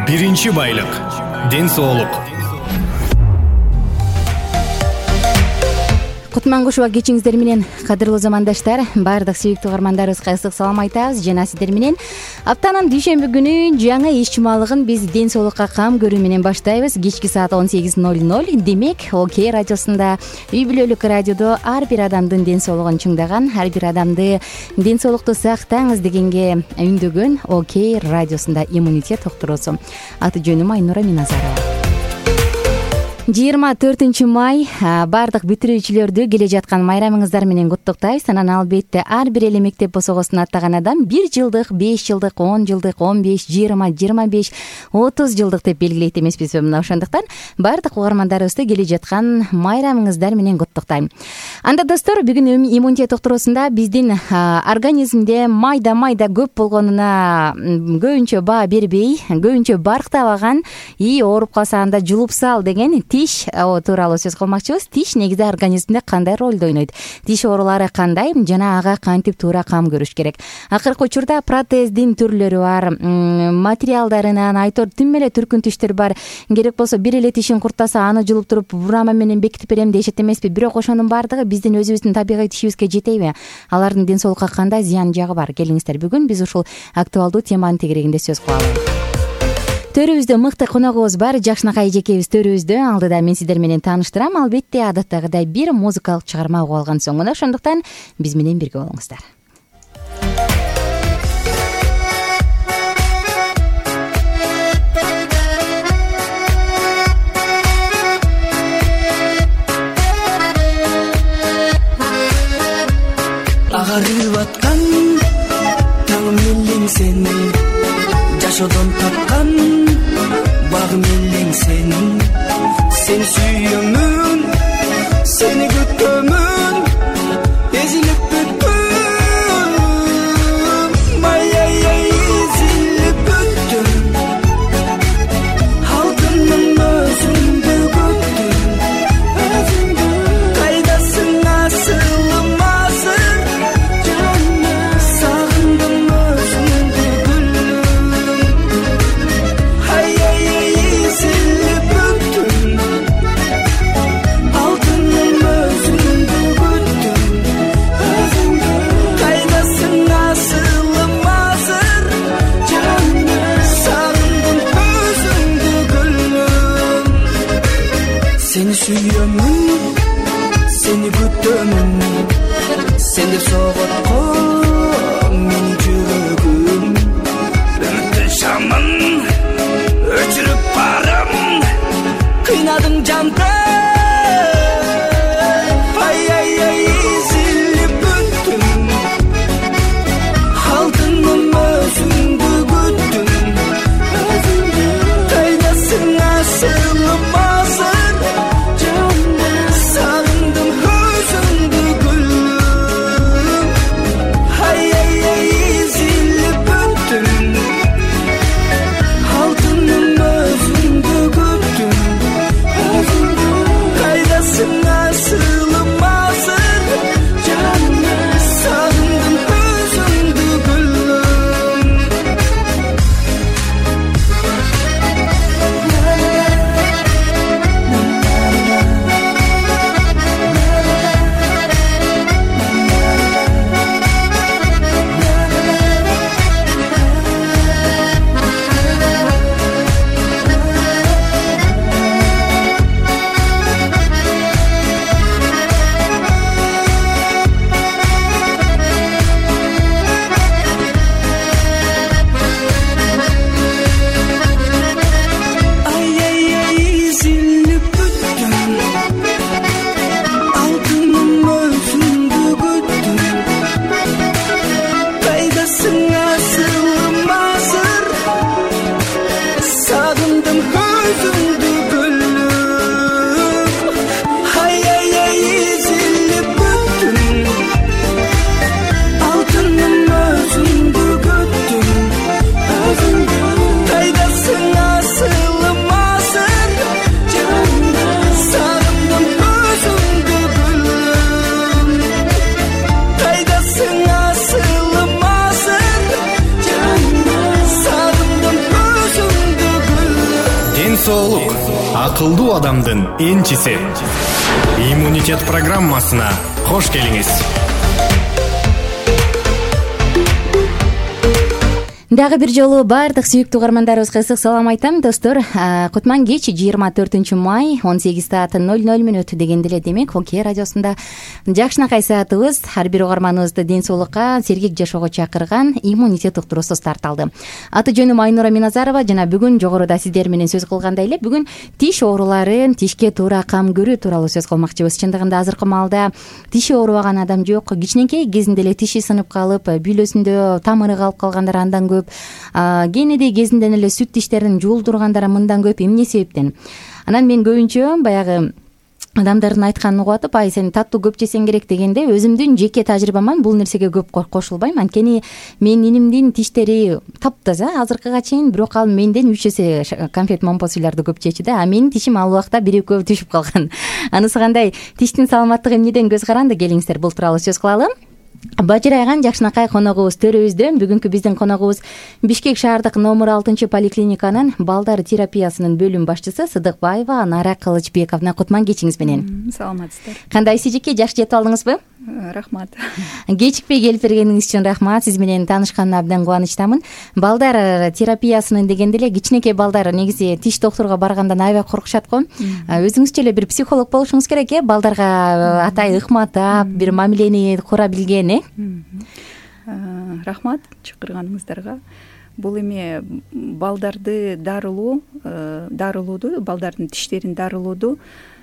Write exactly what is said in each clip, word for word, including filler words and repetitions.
Биринчи байлык — ден соолук. Кутмангушева кечиңиздер менен, кадырлуу замандаштар. Баардык сүйүктүү угармандарыбызга ысык салам айтабыз жана сиздер менен аптанын дүйшөмбү күнү жаңы иш чымалыгын биз ден соолукка кам көрүү менен баштайбыз. Кечки саат он сегиз ноль ноль. Демек, Окей радиосунда, үй бүлөлүк радиодо ар бир адамдын ден соолугун чыңдаган, ар бир адамды ден соолукту сактаңыз дегенге үндөгөн Окей радиосунда иммунитет доктурусу. Аты жөнүм Айнура Миназарова. жыйырма төртүнчү май баардык бүтүрүүчүлөрдү келе жаткан майрамыңыздар менен куттуктайбыз. Анан албетте ар бир эле мектеп босогосун аттаган адам бир жылдык, беш жылдык, он жылдык, он беш, жыйырма, жыйырма беш, отуз жылдык деп белгилейт эмеспизби? Мына ошондуктан баардык угармандарыбызды келе жаткан майрамыңыздар менен куттуктайм. Анда достор, бүгүн иммунитет доктурусунда биздин организмде майда майда көп болгонуна көбүнчө баа бербей, көбүнчө барктабаган и ооруп калса анда жулуп сал деген тиш тууралуу сөз кылмакчыбыз. Тиш негизи организмде кандай ролду ойнойт? Тиш оорулары кандай жана ага кантип туура кам көрүш керек? Акыркы учурда протездин түрлөрү бар, материалдарынан айтор тим эле түркүн тиштер бар. Керек болсо бир эле тишин куртаса аны жулуп туруп бурама менен бекитип берем дешет эмеспи? Бирок ошонун баардыгы биздин өзүбүздүн табигый тишибизге жетейби? Алардын ден соолукка кандай зыян жагы бар? Келиңиздер, бүгүн биз ушул актуалдуу теманын тегерегинде сөз кылалы. Төрүбүздө мыкты коногубуз бар. Жакшынакай эжекебиз төрүбүздө. Алдыда мен сиздер менен тааныштырам. Албетте адаттагыдай бир музыкалык чыгарма угуп алган соң гана, ошондуктан биз менен бирге болуңуздар. Агарып аткан таң мелең сен, жашоодон тапкан багым элең сен. Сени сүйөмүн, сени күтөмүн, эзилип бүттүм, май-ай-ай эзилип бүттүм. Алтыным өзүңдү күттүм, өзүңдү. Кайдасың асылым азыр, сагындым өзүңдү гүлүм. Ай-ай-ай эзилип бүттүм, алтыным өзүңдү күттүм, өзүңдү. Кайдасың асылым азыр, сагындым өзүңдү гүлүм. Сени сүйөмүн, сени күтөмүн, сен деп согот го менин жүрөгүм. Үмүттүн шамын өчүрүп барам, кыйнадың жанды. Ай-ай-ай эзилип бүттүм, алтыным өзүңдү күттүм, өзүңдү. Кайдасың асылым азыр, жаным, соолук акылдуу адамдын энчиси. Иммунитет программасына кош келиңиз. Дагы бир жолу баардык сүйүктүү угармандарыбызга ысык салам айтам, достор. Кутман кеч жыйырма төртүнчү май он сегиз саат ноль ноль мүнөт дегенде эле демек Оке радиосунда жакшынакай саатыбыз ар бир угарманыбызды ден соолукка, сергек жашоого чакырган иммунитет уктуруусу старт алды. Аты жөнүм Айнура Миназарова жана бүгүн жогоруда сиздер менен сөз кылгандай эле бүгүн тиш ооруларын, тишке туура кам көрүү тууралуу сөз кылмакчыбыз. Чындыгында азыркы маалда тиши оорубаган адам жок. Кичинекей кезинде эле тиши сынып калып, бүйлөсүндө тамыры калып калгандар андан көп. Кенедей кезинден эле сүт тиштерин жуулдургандар мындан көп. Эмне себептен? Анан мен көбүнчө баягы адамдардын айтканын угуп атып, ай сен таттуу көп жесең керек дегенде, өзүмдүн жеке тажрыйбаман бул нерсеге көп кошулбайм. Анткени менин инимдин тиштери таптаза азыркыга чейин, бирок ал менден үч эсе конфет момпосуйларды көп жечү да. А менин тишим ал убакта бир экөө түшүп калган. Анысы кандай? Тиштин саламаттыгы эмнеден көз каранды? Келиңиздер бул тууралуу сөз кылалы. Бажырайган жакшынакай коногубуз төрүбүздө. Бүгүнкү биздин коногубуз Бишкек шаардык номер алтынчы поликлиниканын балдар терапиясынын бөлүм башчысы Сыдыкбаева Анара Кылычбековна. Кутман кечиңиз менен. Саламатсыздар. Кандайсыз эжеке, жакшы жетип алдыңызбы? Рахмат. Кечикпей келип бергениңиз үчүн рахмат. Сиз менен таанышканыма абдан кубанычтамын. Балдар терапиясынын дегенде эле кичинекей балдар негизи тиш доктурга баргандан аябай коркушат го. Өзүңүзчө эле бир психолог болушуңуз керек э, балдарга атай ыкматап, бир мамилени кура билген э. Рахмат чакырганыңыздарга. Бул эме балдарды дарылоо, дарылооду, балдардын тиштерин дарылооду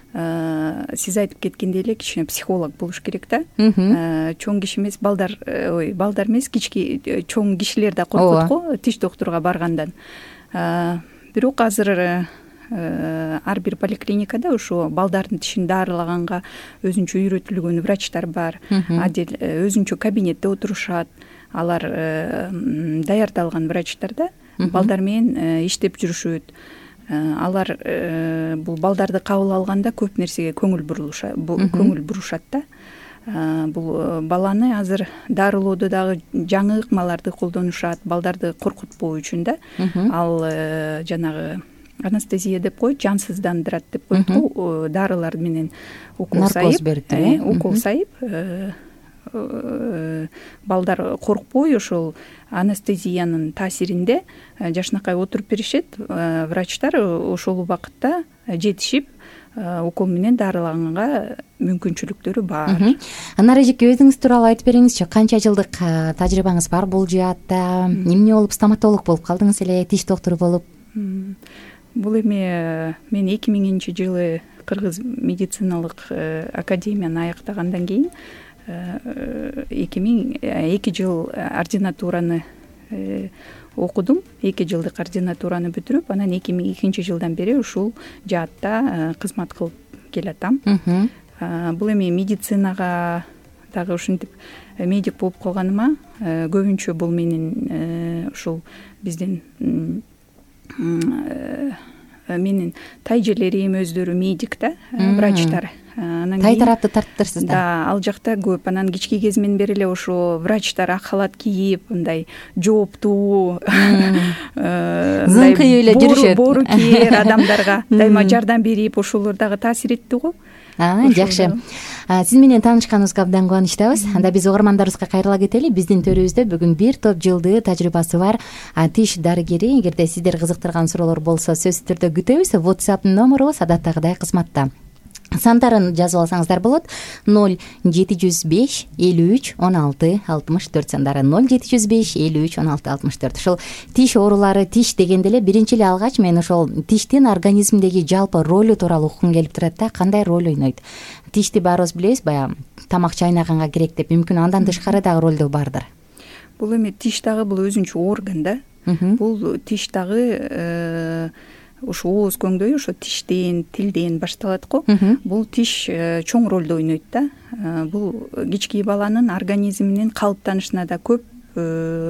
сиз айтып кеткендей эле кичине психолог болуш керек да. Чоң киши эмес, балдар, ой, балдар эмес, кички чоң кишилер да коркот го тиш доктурга баргандан. Бирок азыр ар бир поликлиникада ошо балдардын тишин дарылаганга өзүнчө үйрөтүлгөн врачтар бар. Адил өзүнчө кабинетте отурушат. Алар даярдалган врачтар да балдар менен иштеп жүрүшөт. Алар бул балдарды кабыл алганда көп нерсеге көңүл бурулушат, көңүл бурушат да. Бул баланы азыр дарылоодо дагы жаңы ыкмаларды колдонушат, балдарды коркутпоо үчүн да. Ал жанагы анестезия деп коет, жансыздандырат деп коет го, дарылар менен укол сайып, укол сайып балдар коркпой ошол анестезиянын таасиринде жакшынакай отуруп беришет. Врачтар ошол убакытта жетишип укол менен дарылаганга мүмкүнчүлүктөрү бар. Анара эжеке, өзүңүз тууралуу айтып бериңизчи. Канча жылдык тажрыйбаңыз бар бул жаатта? Эмне болуп стоматолог болуп калдыңыз эле, тиш доктору болуп? Бул эме мен эки миңинчи жылы Кыргыз медициналык академияны аяктагандан кийин эки миң эки жыл ординатураны окудум. эки жылдык ординатураны бүтүрүп, анан эки миң экинчи жылдан бери ушул жаатта кызмат кылып келатам. Бул эми медицинага дагы ушинтип медик болуп калганыма көбүнчө бул менин ушул биздин менин тайжелерим өздөрү медик да, врачтар. Тай тарапты тарттырсыздар. Да, ал жакта көп. Анан кички кезимден бери эле ошо врачтар ак халат кийип, мындай жооптуу, зыңкый эле жүрүшөт. Боору кээр адамдарга дайыма жардам берип, ошолор дагы таасир этти го. Жакшы. Сиз менен таанышканыбызга абдан кубанычтабыз. Анда биз угармандарыбызга кайрыла кетели. Биздин төрүбүздө бүгүн бир топ жылдыы тажрыйбасы бар тиш дарыгери. Эгерде сиздер кызыктырган суроолор болсо, сөзсүз түрдө күтөбүз. WhatsApp номерубуз адаттагыдай кызматта. Сандарын жазып алсаңыздар болот. ноль жети жүз беш элүү үч он алты алтымыш төрт сандары ноль жети жүз беш элүү үч он алты алтымыш төрт. Ошол тиш оорулары, тиш дегенде эле биринчи эле алгач мен ошол тиштин организмдеги жалпы ролу тууралуу уккум келип турат да. Кандай роль ойнойт? Тишти баарыбыз билебиз, баягы тамак чайнаганга керек деп, мүмкүн андан тышкары дагы ролдо бардыр. Бул эми тиш дагы бул өзүнчө орган да. Бул тиш дагы ошо ооз көңдөй ошо тиштен, тилден башталат го. Бул тиш чоң ролду ойнойт да. Бул кички баланын организминин калыптанышына да көп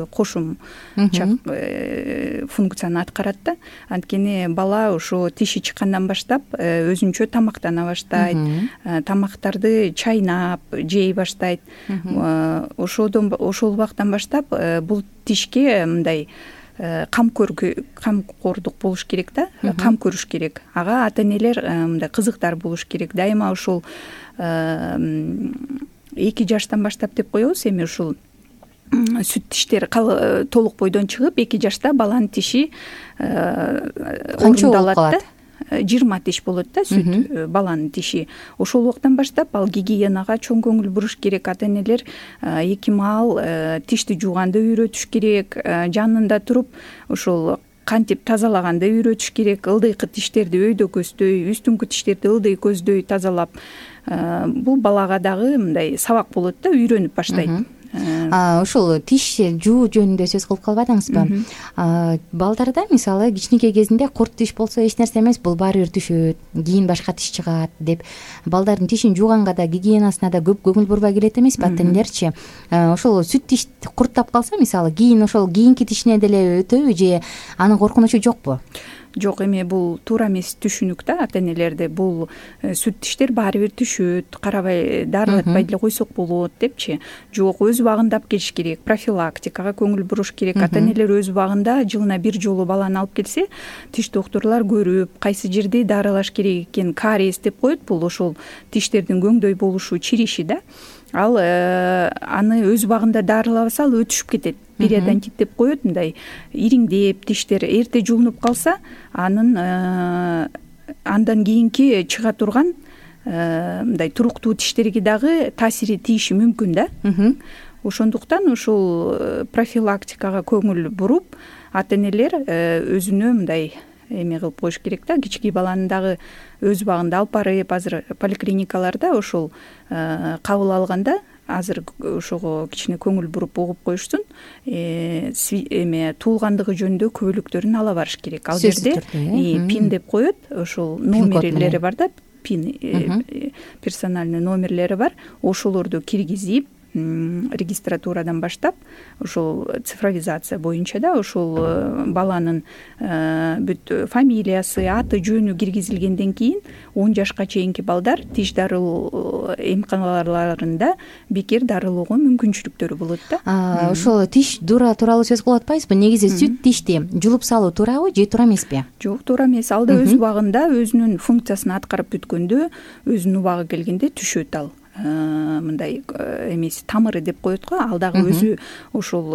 кошумча функцияны аткарат да. Анткени бала ошо тиши чыккандан баштап өзүнчө тамактана баштайт, тамактарды чайнап жей баштайт. Ошодон ошол убактан баштап бул тишке мындай камкөр камкордук болуш керек да, кам көрүш керек. Ага ата энелер мындай кызыктар болуш керек. Дайыма ушул эки жаштан баштап деп коебуз. Эми ушул сүт тиштер толук бойдон чыгып эки жашта баланын тиши орундалат да. жыйырма тиш болот да сүт баланын тиши. Ошол убактан баштап ал гигиенага чоң көңүл буруш керек. Ата энелер эки маал тишти жууганды үйрөтүш керек. Жанында туруп ошол кантип тазалаганды үйрөтүш керек. Ылдыйкы тиштерди өйдө көздөй, үстүңкү тиштерди ылдый көздөй тазалап, бул балага дагы мындай сабак болот да, үйрөнүп баштайт. Ушул тиш жуу жөнүндө сөз кылып калбадыңызбы? Балдарда мисалы кичинекей кезинде курт тиш болсо эч нерсе эмес, бул баары бир түшөт, кийин башка тиш чыгат деп балдардын тишин жууганга да, гигиенасына да көп көңүл бурбай келет эмеспи ата энелерчи? Ошол сүт тиш курттап калса мисалы, кийин ошол кийинки тишине деле өтөбү же анын коркунучу жокпу? Жок, эми бул туура эмес түшүнүк да ата энелерде. Бул сүт тиштер баары бир түшөт, карабай дарылатпай деле койсок болот депчи. Жок, өз убагында алып келиш керек, профилактикага көңүл буруш керек. Ата энелер өз убагында жылына бир жолу баланы алып келсе, тиш доктурлар көрүп, кайсы жерди дарылаш керек экен, кариес деп коет. Бул ошол тиштердин көңдөй болушу, чириши да. Ал аны өз убагында дарылабаса ал өтүшүп кетет. Периодонтит деп коет, мындай ириңдеп тиштер эрте жуунуп калса, анын андан кийинки чыга турган мындай туруктуу тиштерге дагы таасири тийиши мүмкүн да. Ошондуктан ушул профилактикага көңүл буруп, ата энелер өзүнө мындай эме кылып коюш керек да. Кичинекей баланы дагы өз убагында алып барып, азыр поликлиникаларда ошол кабыл алганда азыр ошого кичине көңүл буруп угуп коюшсун. Эме туулгандыгы жөнүндө күбөлүктөрүн ала барыш керек. Ал жерде пин деп коет, ошол номерлери бар да, пин персональный номерлери бар. Ошолорду киргизип, регистратурадан баштап ошол цифровизация боюнча да ошол баланын бүт фамилиясы, аты, жөнү киргизилгенден кийин он жашка чейинки балдар тиш дарылоо эмканаларында бекер дарылоого мүмкүнчүлүктөрү болот да. Ошол тиш дуура тууралуу сөз кылып атпайсызбы? Негизи сүт тишти жулуп салуу туурабы же туура эмеспи? Жок, туура эмес. Ал да өз убагында өзүнүн функциясын аткарып бүткөндө, өзүнүн убагы келгенде түшөт ал. Мындай эмеси тамыры деп коет го, ал дагы өзү ошол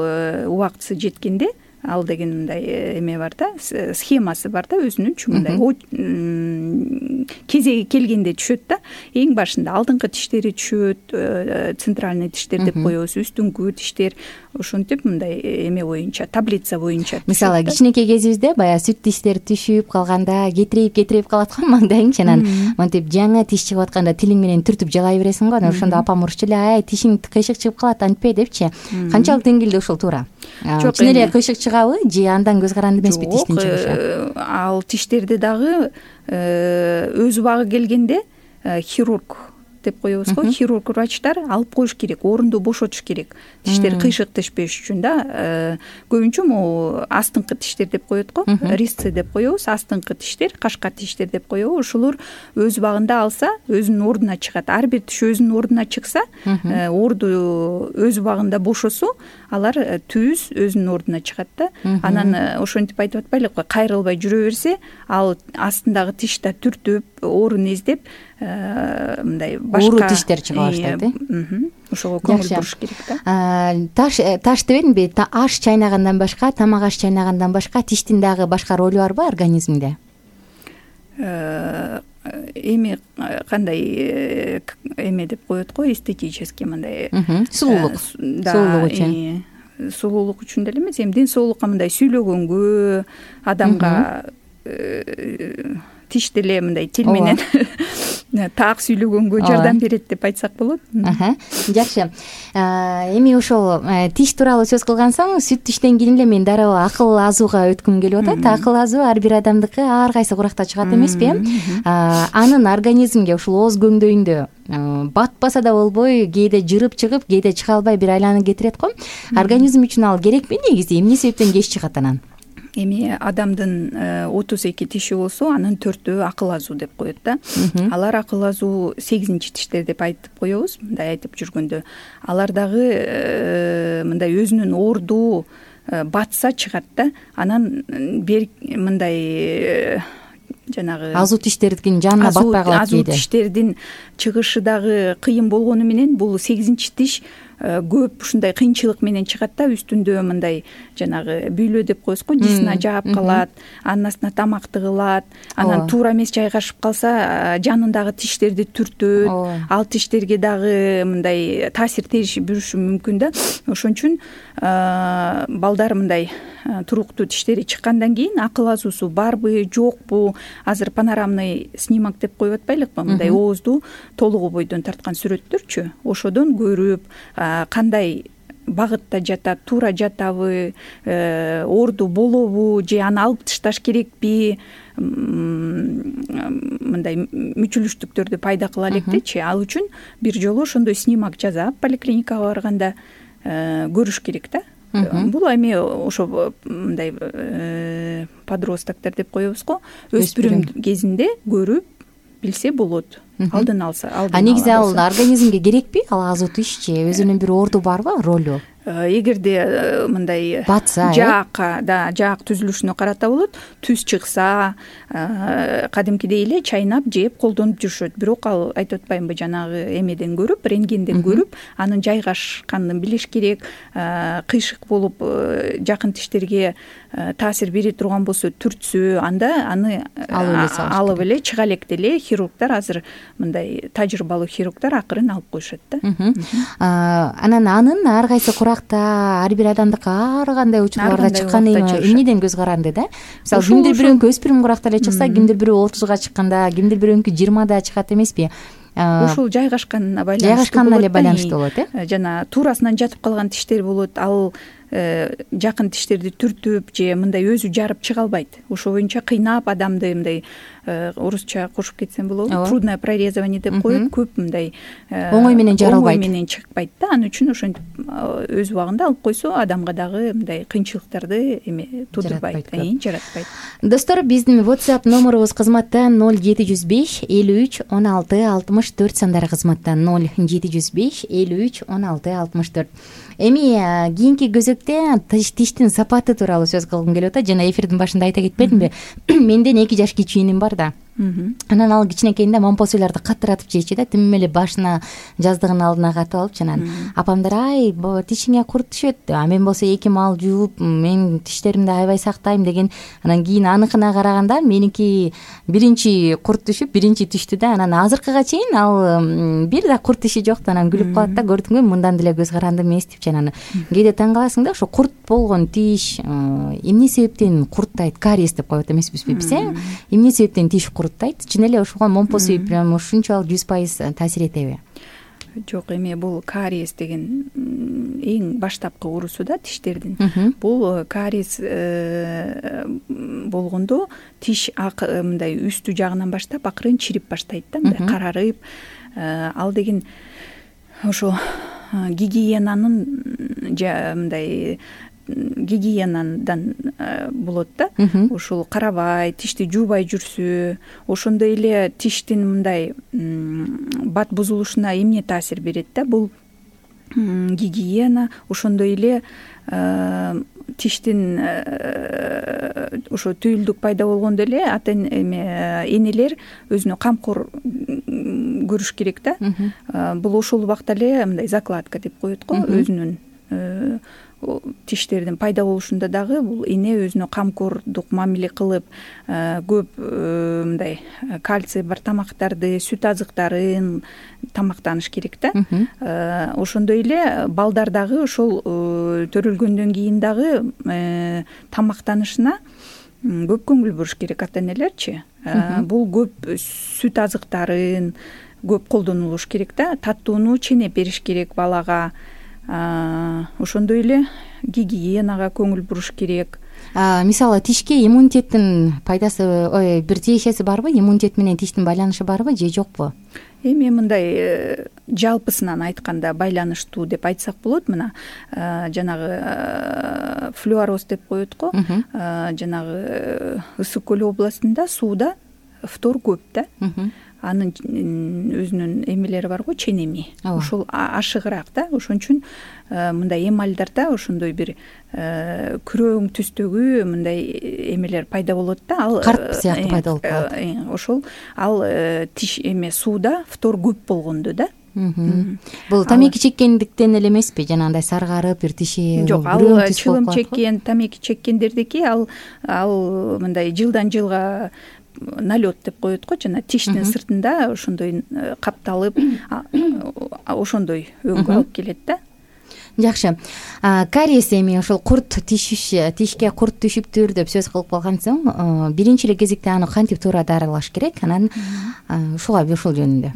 убактысы жеткенде, ал деген мындай эме бар да, схемасы бар да, өзүнүнчү мындай кезеги келгенде түшөт да. Эң башында алдыңкы тиштери түшөт, центральный тиштер деп коебуз, үстүңкү тиштер, ошентип мындай эме боюнча, таблица боюнча. Мисалы кичинекей кезибизде баягы сүт тиштер түшүп калганда кетирип кетирип калат го маңдайың, анан монтип жаңы тиш чыгып атканда тилиң менен түртүп жалай бересиң го. Ошондо апам урчу эле, ай тишиң кыйшык чыгып калат, антпей депчи. Канчалык деңгээлде ошол туура? Чын эле кыйшык чыгабы же андан көз каранды эмеспи тиштин чыгышы? Ал тиштерди дагы өз убагы келгенде хирург деп коебуз го, хирург врачтар алып коюш керек, орунду бошотуш керек. Тиштер кыйшык түшпөш үчүн да. Көбүнчө могу астыңкы тиштер деп коет го, резцы деп коебуз, астыңкы тиштер, кашка тиштер деп коебуз. Ошолор өз убагында алса, өзүнүн ордуна чыгат. Ар бир тиш өзүнүн ордуна чыкса, орду өз убагында бошосо, алар түз өзүнүн ордуна чыгат да. Анан ошентип айтып атпайлыкпы, кайрылбай жүрө берсе, ал астындагы тиш да түртүп, орун издеп, мындай башка ууру тиштер чыга баштайт. Ошого көңүл буруш керек да. Таш таш дебедимби? Аш чайнагандан башка, тамак аш чайнагандан башка тиштин дагы башка ролу барбы организмде? Эми кандай эме деп коет го, эстетический мындай сулуулук, сулуулук үчүн. Сулуулук үчүн деле эмес, эми ден соолукка мындай сүйлөгөнгө, адамга тиш деле мындай тил менен так сүйлөгөнгө жардам берет деп айтсак болот. Жакшы. Эми ошол тиш тууралуу сөз кылган соң, сүт тиштен кийин эле мен дароо акыл азууга өткүм келип атат. Акыл азуу ар бир адамдыкы ар кайсы куракта чыгат эмеспи? Анын организмге ушул ооз көңдөйүндө батпаса да болбой, кээде жырып чыгып, кээде чыга албай бир айланып кетирет го. Организм үчүн ал керекпи негизи? Эмне себептен кеч чыгат анан? Эми адамдын отуз эки тиши болсо, анын төртөө акыл азуу деп коет да. Алар акыл азуу сегизинчи тиштер деп айтып коебуз, мындай айтып жүргөндө. Алар дагы мындай өзүнүн орду, батса чыгат да, анан бер мындай жанагы азуу тиштердин жанына батпай калат азуу кээде. тиштердин чыгышы дагы кыйын болгону менен бул сегизинчи тиш көп ушундай кыйынчылык менен чыгат да, үстүндө мындай жанагы бүйлө деп коебузго, жисына жаап калат, анын астына тамак тыгылат, анан туура эмес жайгашып калса жанындагы тиштерди түртөт, ал тиштерге дагы мындай таасир тийиши мүмкүн да. Ошон үчүн балдар мындай туруктуу тиштери чыккандан кийин акыл азуусу барбы жокпу, азыр панорамный снимок деп коюп атпайлыкпы, мындай оозду толугу бойдон тарткан сүрөттөрчү, ошодон көрүп кандай багытта жатат, туура жатабы, оорду болобу же аны алып ташташ керекпи, мындай мүчүлүштүктөрдү пайда кыла элек дечи. Ал үчүн бир жолу ошондой снимок жасап поликлиникага барганда көрүш керек да. Бул эми ошо мындай подростоктор деп коебузго, өспүрүм кезинде көрүп билсе болот, алдын алса. А негизи ал организмге керекпи? Ал азуу тиш же өзүнүн бир орду барбы, ролу? Эгерде мындай батса, жаакка, да, жаак түзүлүшүнө карата болот, түз чыкса, кадимкидей эле чайнап, жеп, колдонуп жүрүшөт. Бирок ал айтып атпаймынбы, жанагы эмеден көрүп, рентгенден көрүп, анын жайгашканын билиш керек. Кыйшык болуп жакын тиштерге таасир бере турган болсо, түртсө, анда аны алып эле чыга элек деле хирургдар, азыр мындай тажрыйбалуу хирургдар акырын алып коюшат да. Анан анын ар кайсы ар бир адамдыкы ар кандай учурларда чыкканы эмнеден көз каранды да? Мисалы, кимдир бирөөнүкү өспүрүм куракта эле чыкса, кимдир бирөө отузга чыкканда, кимдир бирөөнүкү жыйырмада чыгат эмеспи? Ушул жайгашканына байланыштуу жайгашканына эле байланыштуу болот, э? Жана туурасынан жатып калган тиштер болот, ал жакын тиштерди түртүп же мындай өзү жарып чыга албайт. Ошо боюнча кыйнап адамды мындай орусча кошуп кетсем болобу, трудное прорезывание деп коет, көп мындай оңой менен жаралбайт, оңой менен чыкпайт да. Анын үчүн ошентип өз убагында алып койсо, адамга дагы мындай кыйынчылыктарды эме туудурбайт, жаратпайт. Достор, биздин WhatsApp номерубуз кызматта ноль жети жүз беш элүү үч он алты алтымыш төрт сандары кызматта ноль жети жүз беш элүү үч он алты алтымыш төрт. Эми кийинки көзөктө тиштин сапаты тууралуу сөз кылгым келип атат. Жана эфирдин башында айта кетпедимби? Менден эки жаш кичүүнүм бар да. Анан ал кичинекейинде момпосуйларды каттыратып жейчү да, тим эле башына жаздыгын алдына катып алып, анан апамдар ай тишиңе курт түшөт, а мен болсо эки маал жууп, мен тиштеримди аябай сактайм деген. Анан кийин аныкына караганда меники биринчи курт түшүп, биринчи түштү да. Анан азыркыга чейин ал бир да курт тиши жок да. Анан күлүп калат да, көрдүңбү, мындан деле көз карандым эмес деп. Анан кээде таң каласың да, ошо курт болгон тиш эмне себептен курттайт? Кариес деп коет эмеспизби биз, э? Эмне себептен тиш курттайт? Чын эле ошого момпос үйүп прям ушунчалык жүз пайыз таасир этеби? Жок, эми бул кариес деген эң баштапкы урусу да тиштердин. Бул кариес болгондо тиш мындай үстү жагынан баштап акырын чирип баштайт да, мындай карарып. Ал деген ошо гигиенанын мындай гигиенадан болот да. Ушул карабай, тишти жуубай жүрсө, ошондой эле тиштин мындай бат бузулушуна эмне таасир берет да? Бул гигиена, ошондой эле тиштин ошо түйүлдүк пайда болгондо эле ата эме энелер өзүнө камкор көрүш керек да. Бул ошол убакта эле мындай закладка деп коет го, өзүнүн тиштердин пайда болушунда дагы бул эне өзүнө камкордук мамиле кылып, көп мындай кальций бар тамактарды, сүт азыктарын тамактаныш керек да. Ошондой эле балдар дагы ошол төрөлгөндөн кийин дагы тамактанышына көп көңүл буруш керек ата энелерчи. Бул көп сүт азыктарын көп колдонулуш керек да, таттууну ченеп бериш керек балага. Ошондой эле гигиенага көңүл буруш керек. Мисалы, тишке иммунитеттин пайдасы, ой, бир тиешеси барбы? Иммунитет менен тиштин байланышы барбы же жокпу? Эми мындай жалпысынан айтканда байланыштуу деп айтсак болот. Мына жанагы флюороз деп коет го. Жанагы Ысык көл областында сууда фтор көп да. анын өзүнүн эмелери бар го, ченеми, ошол ашыгыраак да. Ошон үчүн мындай эмальдарда ошондой бир күрөң түстөгү мындай эмелер пайда болот да. Ал карт сыяктуу пайда болуп калат. Ошол ал тиш эме сууда фтор көп болгондо да. Бул тамеки чеккендиктен эле эмеспи? Жанагындай саргарып бир тиши жок, ал чылым чеккен, тамеки чеккендердики ал ал мындай жылдан жылга налет деп коет го, жана тиштин сыртында ошондой капталып ошондой өңгө алып келет да. Жакшы. Кариес эми ошол курт тишиш, тишке курт түшүптүр деп сөз кылып калган соң, биринчи эле кезекте аны кантип туура дарылаш керек? Анан ушуга ушул жөнүндө.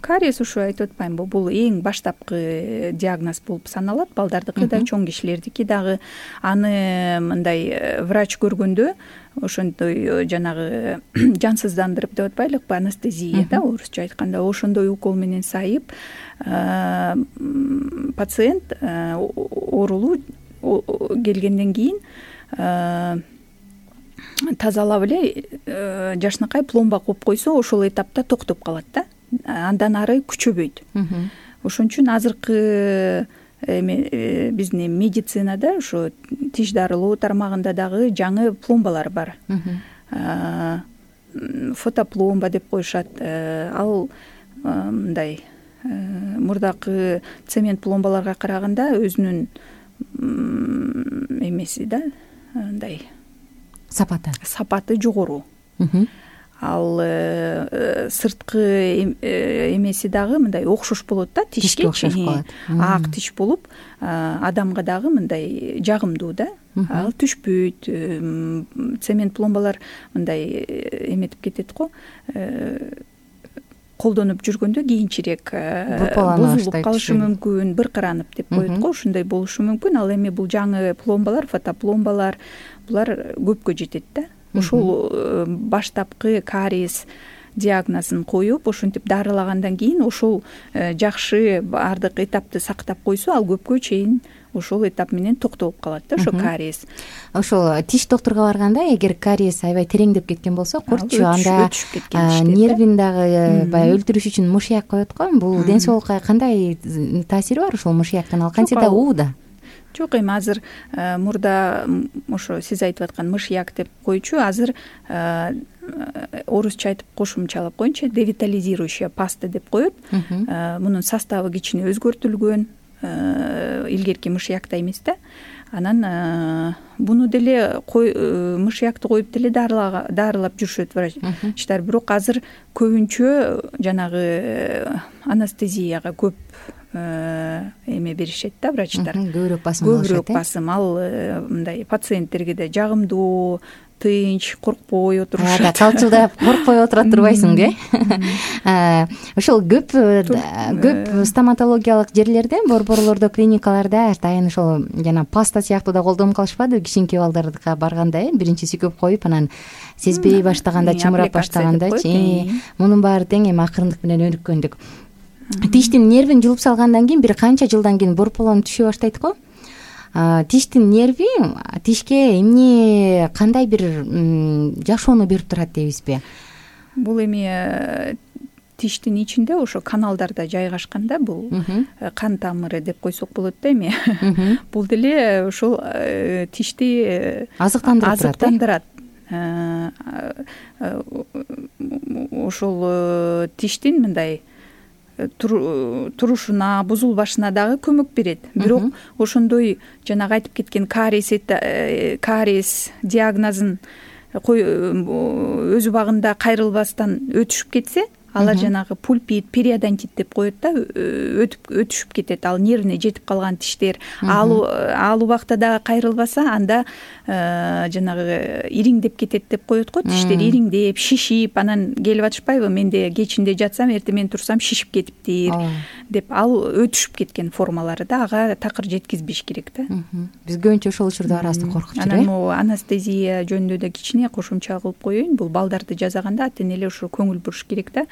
Кариес ушу айтып атпаймынбы, бул эң баштапкы диагноз болуп саналат, балдардыкы да, чоң кишилердики дагы. Аны мындай врач көргөндө ошондой жанагы жансыздандырып деп атпайлыкпы, анестезия да, орусча айтканда, ошондой укол менен сайып пациент оорулуу келгенден кийин тазалап эле жашынакай пломба коюп койсо, ошол этапта токтоп калат да, андан ары күчөбөйт. Ошон үчүн азыркы эме биздин медицинада ошо тиш дарылоо тармагында дагы жаңы пломбалар бар. Фотопломба деп коюшат. Ал мындай мурдакы цемент пломбаларга караганда өзүнүн эмеси да, мындай сапаты сапаты жогору. Ал сырткы эмеси дагы мындай окшош болот да, тишке окшош калат. Ак тиш болуп, адамга дагы мындай жагымдуу да. Ал түшпөйт. Цемент пломбалар мындай эметип кетет го, колдонуп жүргөндө кийинчерээк бузулуп калышы мүмкүн, быркыранып деп коет го, ушундай болушу мүмкүн. Ал эми бул жаңы пломбалар, фотопломбалар, булар көпкө жетет да. Ошол баштапкы кариес диагнозун коюп, ошентип дарылагандан кийин ошол жакшы баардык этапты сактап койсо, ал көпкө чейин ошол этап менен токтолуп калат да, ошо кариес. Ошол тиш доктурга барганда, эгер кариес аябай тереңдеп кеткен болсо, куртчу анда нервин дагы баягы өлтүрүш үчүн мышьяк коет го. Бул ден соолукка кандай таасири бар ушул мышьяктын? Ал кантсе да ууда? Жок, эми азыр мурда ошо сиз айтып аткан мышьяк деп коючу, азыр орусча айтып кошумчалап коеюнчу, девитализирующая паста деп коет. Мунун составы кичине өзгөртүлгөн, илгерки мышьяктай эмес да. Анан буну деле мышьякты коюп деле дарылап жүрүшөт врачтар, бирок азыр көбүнчө жанагы анестезияга көп эме беришет да врачтар. Көбүрөөк басым алышат. Көбүрөөк басым. Ал мындай пациенттерге да жагымдуу, тынч, коркпой отурушат. Калчылдап коркпой отура турбайсыңбы, э? Ошол көп көп стоматологиялык жерлерде, борборлордо, клиникаларда атайын ошол жана паста сыяктуу да колдонуп калышпадыбы кичинекей балдарга барганда, э? Биринчи сүйкөп коюп, анан сезбей баштаганда, чымырап баштагандачы. Мунун баары тең эми акырындык менен өнүккөндүк. Тиштин нервин жулуп салгандан кийин бир канча жылдан кийин борполон түшө баштайт го. Тиштин нерви тишке эмне, кандай бир жашоону берип турат дейбизби? Бул эми тиштин ичинде ошо каналдарда жайгашканда, бул кан тамыры деп койсок болот да эми. Бул деле ошол тишти азыктандырат. Ошол тиштин мындай турушуна, бузулбашына дагы көмөк берет. Бирок ошондой жанагы айтып кеткен кариес кариес диагнозун өз убагында кайрылбастан өтүшүп кетсе, алар жанагы пульпит, периодонтит деп коет да, өтүп өтүшүп кетет. Ал нервине жетип калган тиштер. Ал ал убакта дагы кайрылбаса, анда жанагы ириңдеп кетет деп коет го. Тиштер ириңдеп, шишип, анан келип атышпайбы, менде кечинде жатсам, эртең менен турсам шишип кетиптир деп. Ал өтүшүп кеткен формалары да, ага такыр жеткизбеш керек да. Биз көбүнчө ошол учурда арасында коркуп жүрөбүз. Анан могу анестезия жөнүндө да кичине кошумча кылып коеюн. Бул балдарды жазаганда ата энелер ошо көңүл буруш керек да.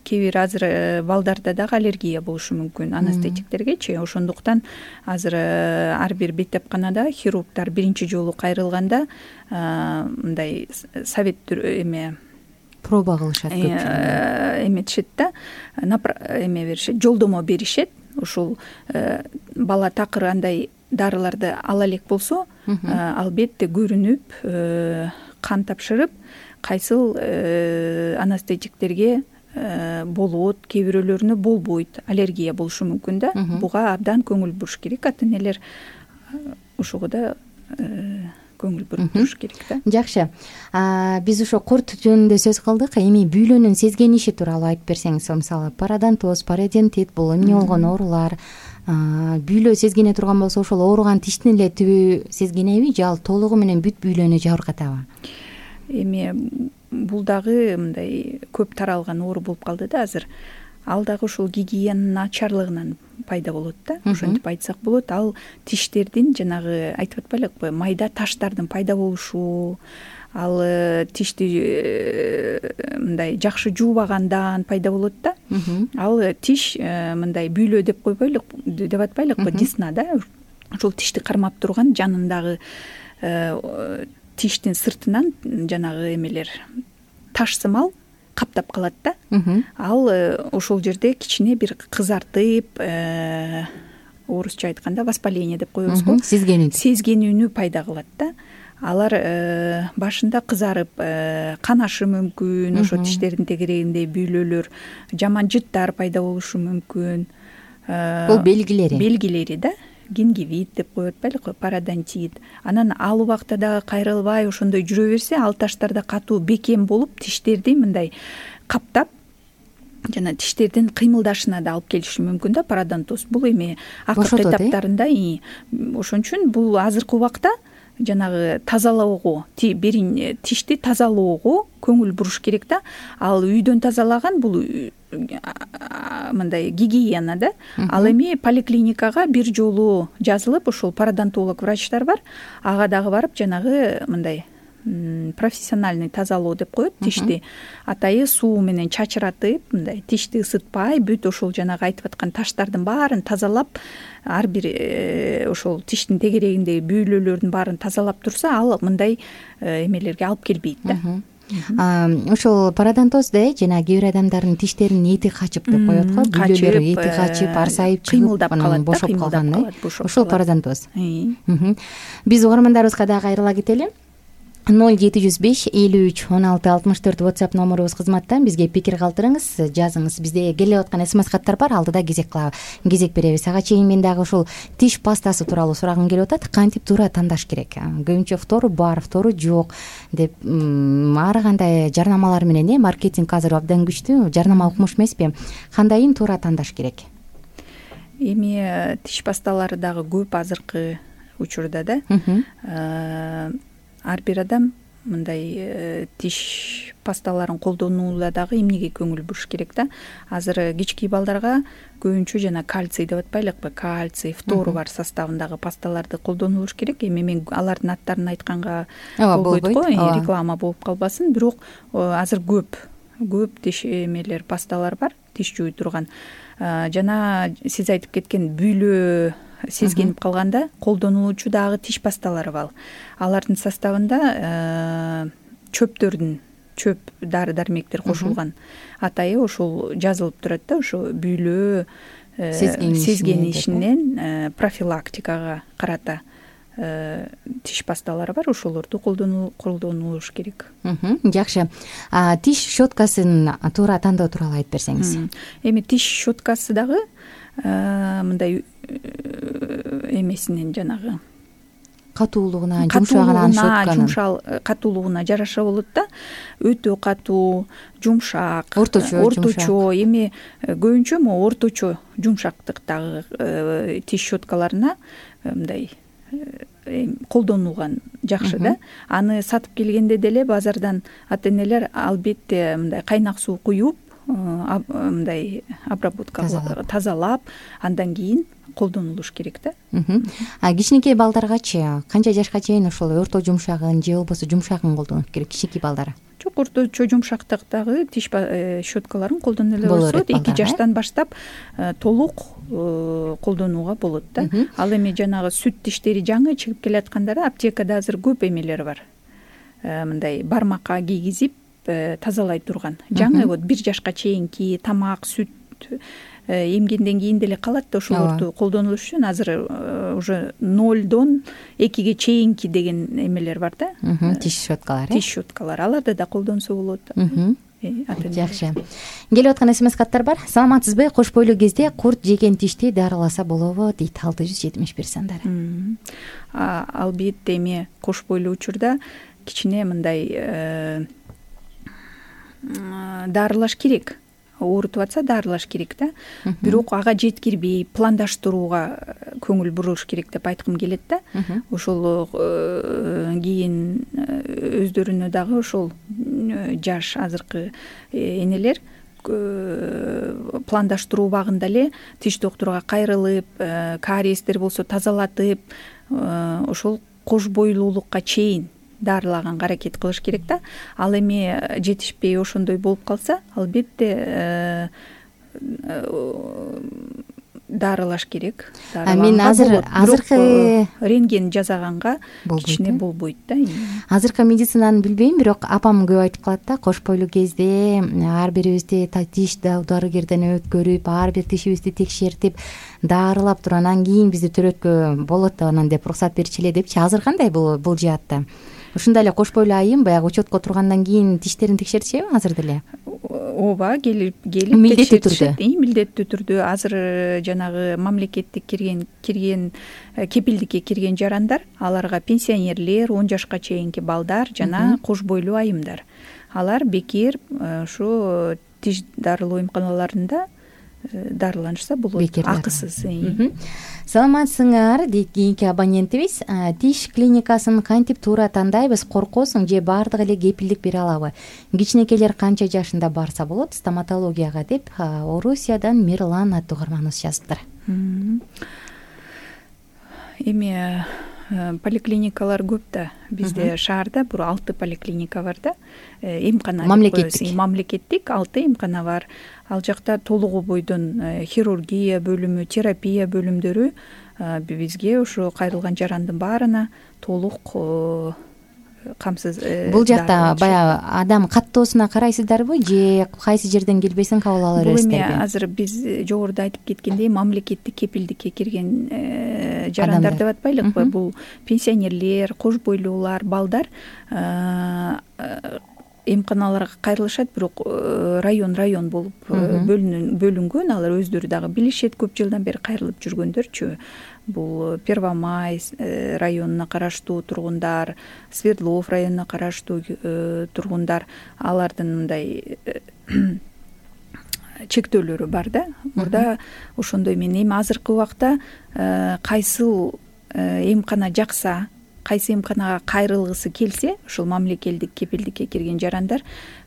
Кээ бир азыр балдарда дагы аллергия болушу мүмкүн анестетиктергечи. Ошондуктан азыр ар бир беттепканада хирургдар биринчи жолу кайрылганда мындай совет эме проба кылышат көпчүлүгү, эметишет да, эме беришет, жолдомо беришет. Ушул бала такыр андай дарыларды ала элек болсо, албетте көрүнүп, кан тапшырып, кайсыл анестетиктерге болот, кээ бирөөлөрүнө болбойт, аллергия болушу мүмкүн да. Буга абдан көңүл буруш керек, ата энелер ушуга да көңүл буруп туруш керек да. Жакшы. Биз ошо курт жөнүндө сөз кылдык. Эми бүйлөнүн сезгениши тууралуу айтып берсеңиз, мисалы пародонтоз, пародонтит бул эмне болгон оорулар, бүйлө сезгене турган болсо, ошол ооруган тиштин эле түбү сезгенеби же ал толугу менен бүт бүйлөнү жабыркатабы? Эми бул дагы мындай көп таралган оору болуп калды да азыр. Ал дагы ушул гигиенанын начарлыгынан пайда болот да. Ошентип айтсак болот. Ал тиштердин жанагы айтып атпайлыкпы, майда таштардын пайда болушу, ал тишти мындай жакшы жуубагандан пайда болот да. Ал тиш мындай бүйлө деп койбойлук, деп атпайлыкпы, десна да. Ошол тишти кармап турган жанындагы тиштин сыртынан жанагы эмелер таш сымал каптап калат да. Ал ошол жерде кичине бир кызартып, орусча айтканда воспаление деп коебуз го, сезгенүү сезгенүүнү пайда кылат да. Алар башында кызарып, канашы мүмкүн, ошо тиштердин тегерегинде бүйлөлөр, жаман жыттар пайда болушу мүмкүн. Бул белгилери. Белгилери да. Гингивит деп коюп атпайлыкпы, пародонтит. Анан ал убакта дагы кайрылбай ошондой жүрө берсе, ал таштарда катуу бекем болуп, тиштерди мындай каптап, жана тиштердин кыймылдашына да алып келиши мүмкүн да пародонтоз. Бул эми акыркы этаптарында. Ошон үчүн бул азыркы убакта жанагы тазалоого, бирин тишти тазалоого көңүл буруш керек да. Ал үйдөн тазалаган бул мындай гигиена да. Ал эми поликлиникага бир жолу жазылып, ошол пародонтолог врачтар бар, ага дагы барып жанагы мындай профессиональный тазалоо деп коет, тишти атайы суу менен чачыратып, мындай тишти ысытпай, бүт ошол жанагы айтып аткан таштардын баарын тазалап, ар бир ошол тиштин тегерегиндеги бүйлөлөрдүн баарын тазалап турса, ал мындай эмелерге алып келбейт да. Ошол пародонтозда жана кээ бир адамдардын тиштеринин эти качып деп коет го, бүйлөлөрү эти качып, арсайып чыгып, анан бошоп калган, ошол пародонтоз. Биз угармандарыбызга дагы кайрыла кетели. ноль жети жүз беш элүү үч он алты алтымыш төрт WhatsApp номерубуз кызматта. Бизге пикир калтырыңыз, жазыңыз. Бизде келип аткан смс каттар бар, алдыда кезек кылабы, кезек беребиз. Ага чейин мен дагы ушул тиш пастасы тууралуу сурагым келип атат. Кантип туура тандаш керек? Көбүнчө фтору бар, фтору жок деп ар кандай жарнамалар менен, э, маркетинг азыр абдан күчтүү, жарнама укмуш эмеспи? Кандайын туура тандаш керек? Эми тиш пасталары дагы көп азыркы учурда да. Ар бир адам мындай тиш пасталарын колдонууда дагы эмнеге көңүл буруш керек да. Азыр кички балдарга көбүнчө жана кальций деп атпайлыкпы, кальций, фтору бар составындагы пасталарды колдонулуш керек. Эми мен алардын аттарын айтканга болбойт го, реклама болуп калбасын. Бирок азыр көп көп тиш эмелер, пасталар бар, тиш жууй турган. Жана сиз айтып кеткен бүйлө сезгенип калганда колдонулуучу дагы тиш пасталары бар. Алардын составында чөптөрдүн, чөп дары дармектер кошулган. Атайы ошол жазылып турат да, ошо бүйлө сезгенишинен профилактикага карата тиш пасталары бар, ошолорду колдонулуш керек. Жакшы. Тиш щеткасын туура тандоо тууралуу айтып берсеңиз. Эми тиш щеткасы дагы мындай эмесинен жанагы катуулугуна, жумшагына, щетканын жумшал катуулугуна жараша болот да. Өтө катуу, жумшак, орточо, орточо. Эми көбүнчө могу орточо жумшактыктагы тиш щеткаларына мындай колдонулган жакшы да. Аны сатып келгенде деле базардан ата энелер албетте мындай кайнак суу куюп, мындай обработка тазалап, андан кийин колдонулуш керек да. А кичинекей балдаргачы канча жашка чейин ошол орто жумшагын же болбосо жумшагын колдонуш керек кичинекей балдар? Жок, орточо жумшактыктагы тиш щеткаларын колдоно эле болсо, эки жаштан баштап толук колдонууга болот да. Ал эми жанагы сүт тиштери жаңы чыгып келаткандар, аптекада азыр көп эмелер бар. Мындай бармакка кийгизип тазалай турган жаңы вот бир жашка чейинки тамак, сүт эмгенден кийин деле калат да ошолорду колдонулуш үчүн азыр уже нолдон экиге чейинки деген эмелер бар да, тиш щеткалар. Тиш щеткалар аларды да колдонсо болот. Жакшы. Келип аткан смс каттар бар. Саламатсызбы? Кош бойлуу кезде курт жеген тишти дарыласа болобу дейт алты жүз жетимиш бир сандары. Албетте эми кош бойлуу учурда кичине мындай дарылаш керек. Оорутуп атса дарылаш керек да. Бирок ага жеткирбей пландаштырууга көңүл буруш керек деп айткым келет да. Ошол кийин өздөрүнө дагы ошол жаш азыркы энелер пландаштыруу убагында эле тиш доктурга кайрылып, кариестер болсо тазалатып, ошол кош бойлуулукка чейин дарылаганга аракет кылыш керек да. Ал эми жетишпей ошондой болуп калса, албетте дарылаш керек. Мен азыр азыркы рентген жасаганга кичине болбойт да. Азыркы медицинаны билбейм, бирок апам көп айтып калат да, кош бойлуу кезде ар бирибизди тиш дарыгерден өткөрүп, ар бир тишибизди текшертип, дарылап туруп, анан кийин бизди төрөткө болот да, анан деп уруксат берчү эле депчи. Азыр кандай бул бул жаатта? Ушундай эле кош бойлуу айым баягы учетко тургандан кийин тиштерин текшертишеби азыр деле? Ооба, келип келип милдеттүү түрдө. Милдеттүү түрдө азыр жанагы мамлекеттик кирген кирген кепилдикке кирген жарандар, аларга пенсионерлер, он жашка чейинки балдар жана кош бойлуу айымдар. Алар бекер ушу тиш дарылоо эмканаларында дарыланышса болот, акысыз. Саламатсыңар дейт кийинки абонентибиз. Тиш клиникасын кантип туура тандайбыз, коркосуң же баардыгы эле кепилдик бере алабы? Кичинекейлер канча жашында барса болот стоматологияга деп Орусиядан Мирлан аттуу угарманыбыз жазыптыр. Эми поликлиникалар көп да. Бизде шаарда бир алты поликлиника бар да. Эмкана мамлекеттик. Мамлекеттик алты эмкана бар. Ал жакта толугу бойдон хирургия бөлүмү, терапия бөлүмдөрү бизге ошо кайрылган жарандын баарына толук камсыз. Бул жакта баягы адам каттоосуна карайсыздарбы же кайсы жерден келбесин кабыл ала бересиздерби? Бул эми азыр биз жогоруда айтып кеткендей мамлекеттик кепилдикке кирген жарандар деп атпайлыкпы? Бул пенсионерлер, кош бойлуулар, балдар эмканаларга кайрылышат, бирок район район болуп бөлүнгөн. Алар өздөрү дагы билишет, көп жылдан бери кайрылып жүргөндөрчү. Бул Первомай районуна караштуу тургундар, Свердлов районуна караштуу тургундар, алардын мындай чектөөлөрү бар да. Мурда ошондой менен эми азыркы убакта кайсыл эмкана жакса, кайсы эмканага кайрылгысы келсе, ошол мамлекеттик кепилдикке кирген жарандар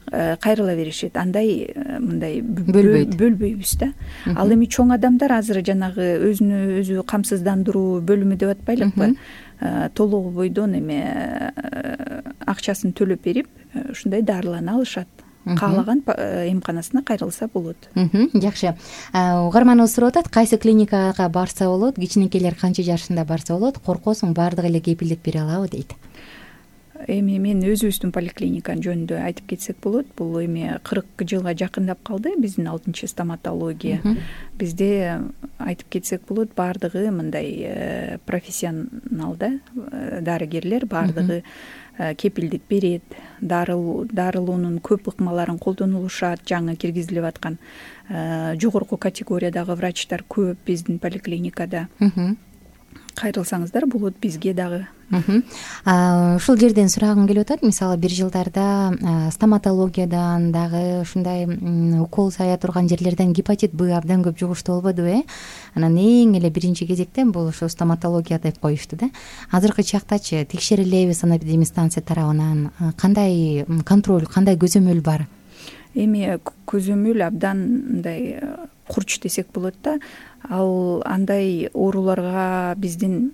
кайрыла беришет. Андай мындай бөлбөйбүз да. Ал эми чоң адамдар азыр жанагы өзүнө өзү камсыздандыруу бөлүмү деп атпайлыкпы? Толугу бойдон эми акчасын төлөп берип, ушундай дарылана алышат. Каалаган эмканасына кайрылса болот. Жакшы. Угарманыбыз сурап атат, кайсы клиникага барса болот, кичинекейлер канча жашында барса болот, коркосуң баардыгы эле кепилдик бере алабы дейт. Эми мен өзүбүздүн поликлиниканын жөнүндө айтып кетсек болот. Бул эми кырк жылга жакындап калды биздин алтынчы стоматология. Бизде айтып кетсек болот, баардыгы мындай профессионал да, дарыгерлер баардыгы кепилдик берет. Дарылоонун көп ыкмаларын колдонулушат, жаңы киргизилип аткан жогорку категориядагы врачтар көп биздин поликлиникада. Кайрылсаңыздар болот бизге дагы. Ушул жерден сурагым келип атат. Мисалы бир жылдарда стоматологиядан дагы ушундай укол сая турган жерлерден гепатит Б абдан көп жугуштуу болбодубу, э? Анан эң эле биринчи кезекте бул ошо стоматология деп коюшту да. Азыркы чактачы текшерилеби санэпидемстанция тарабынан? Кандай контроль, кандай көзөмөл бар? Эми көзөмөл абдан мындай курч десек болот да. Ал андай ооруларга биздин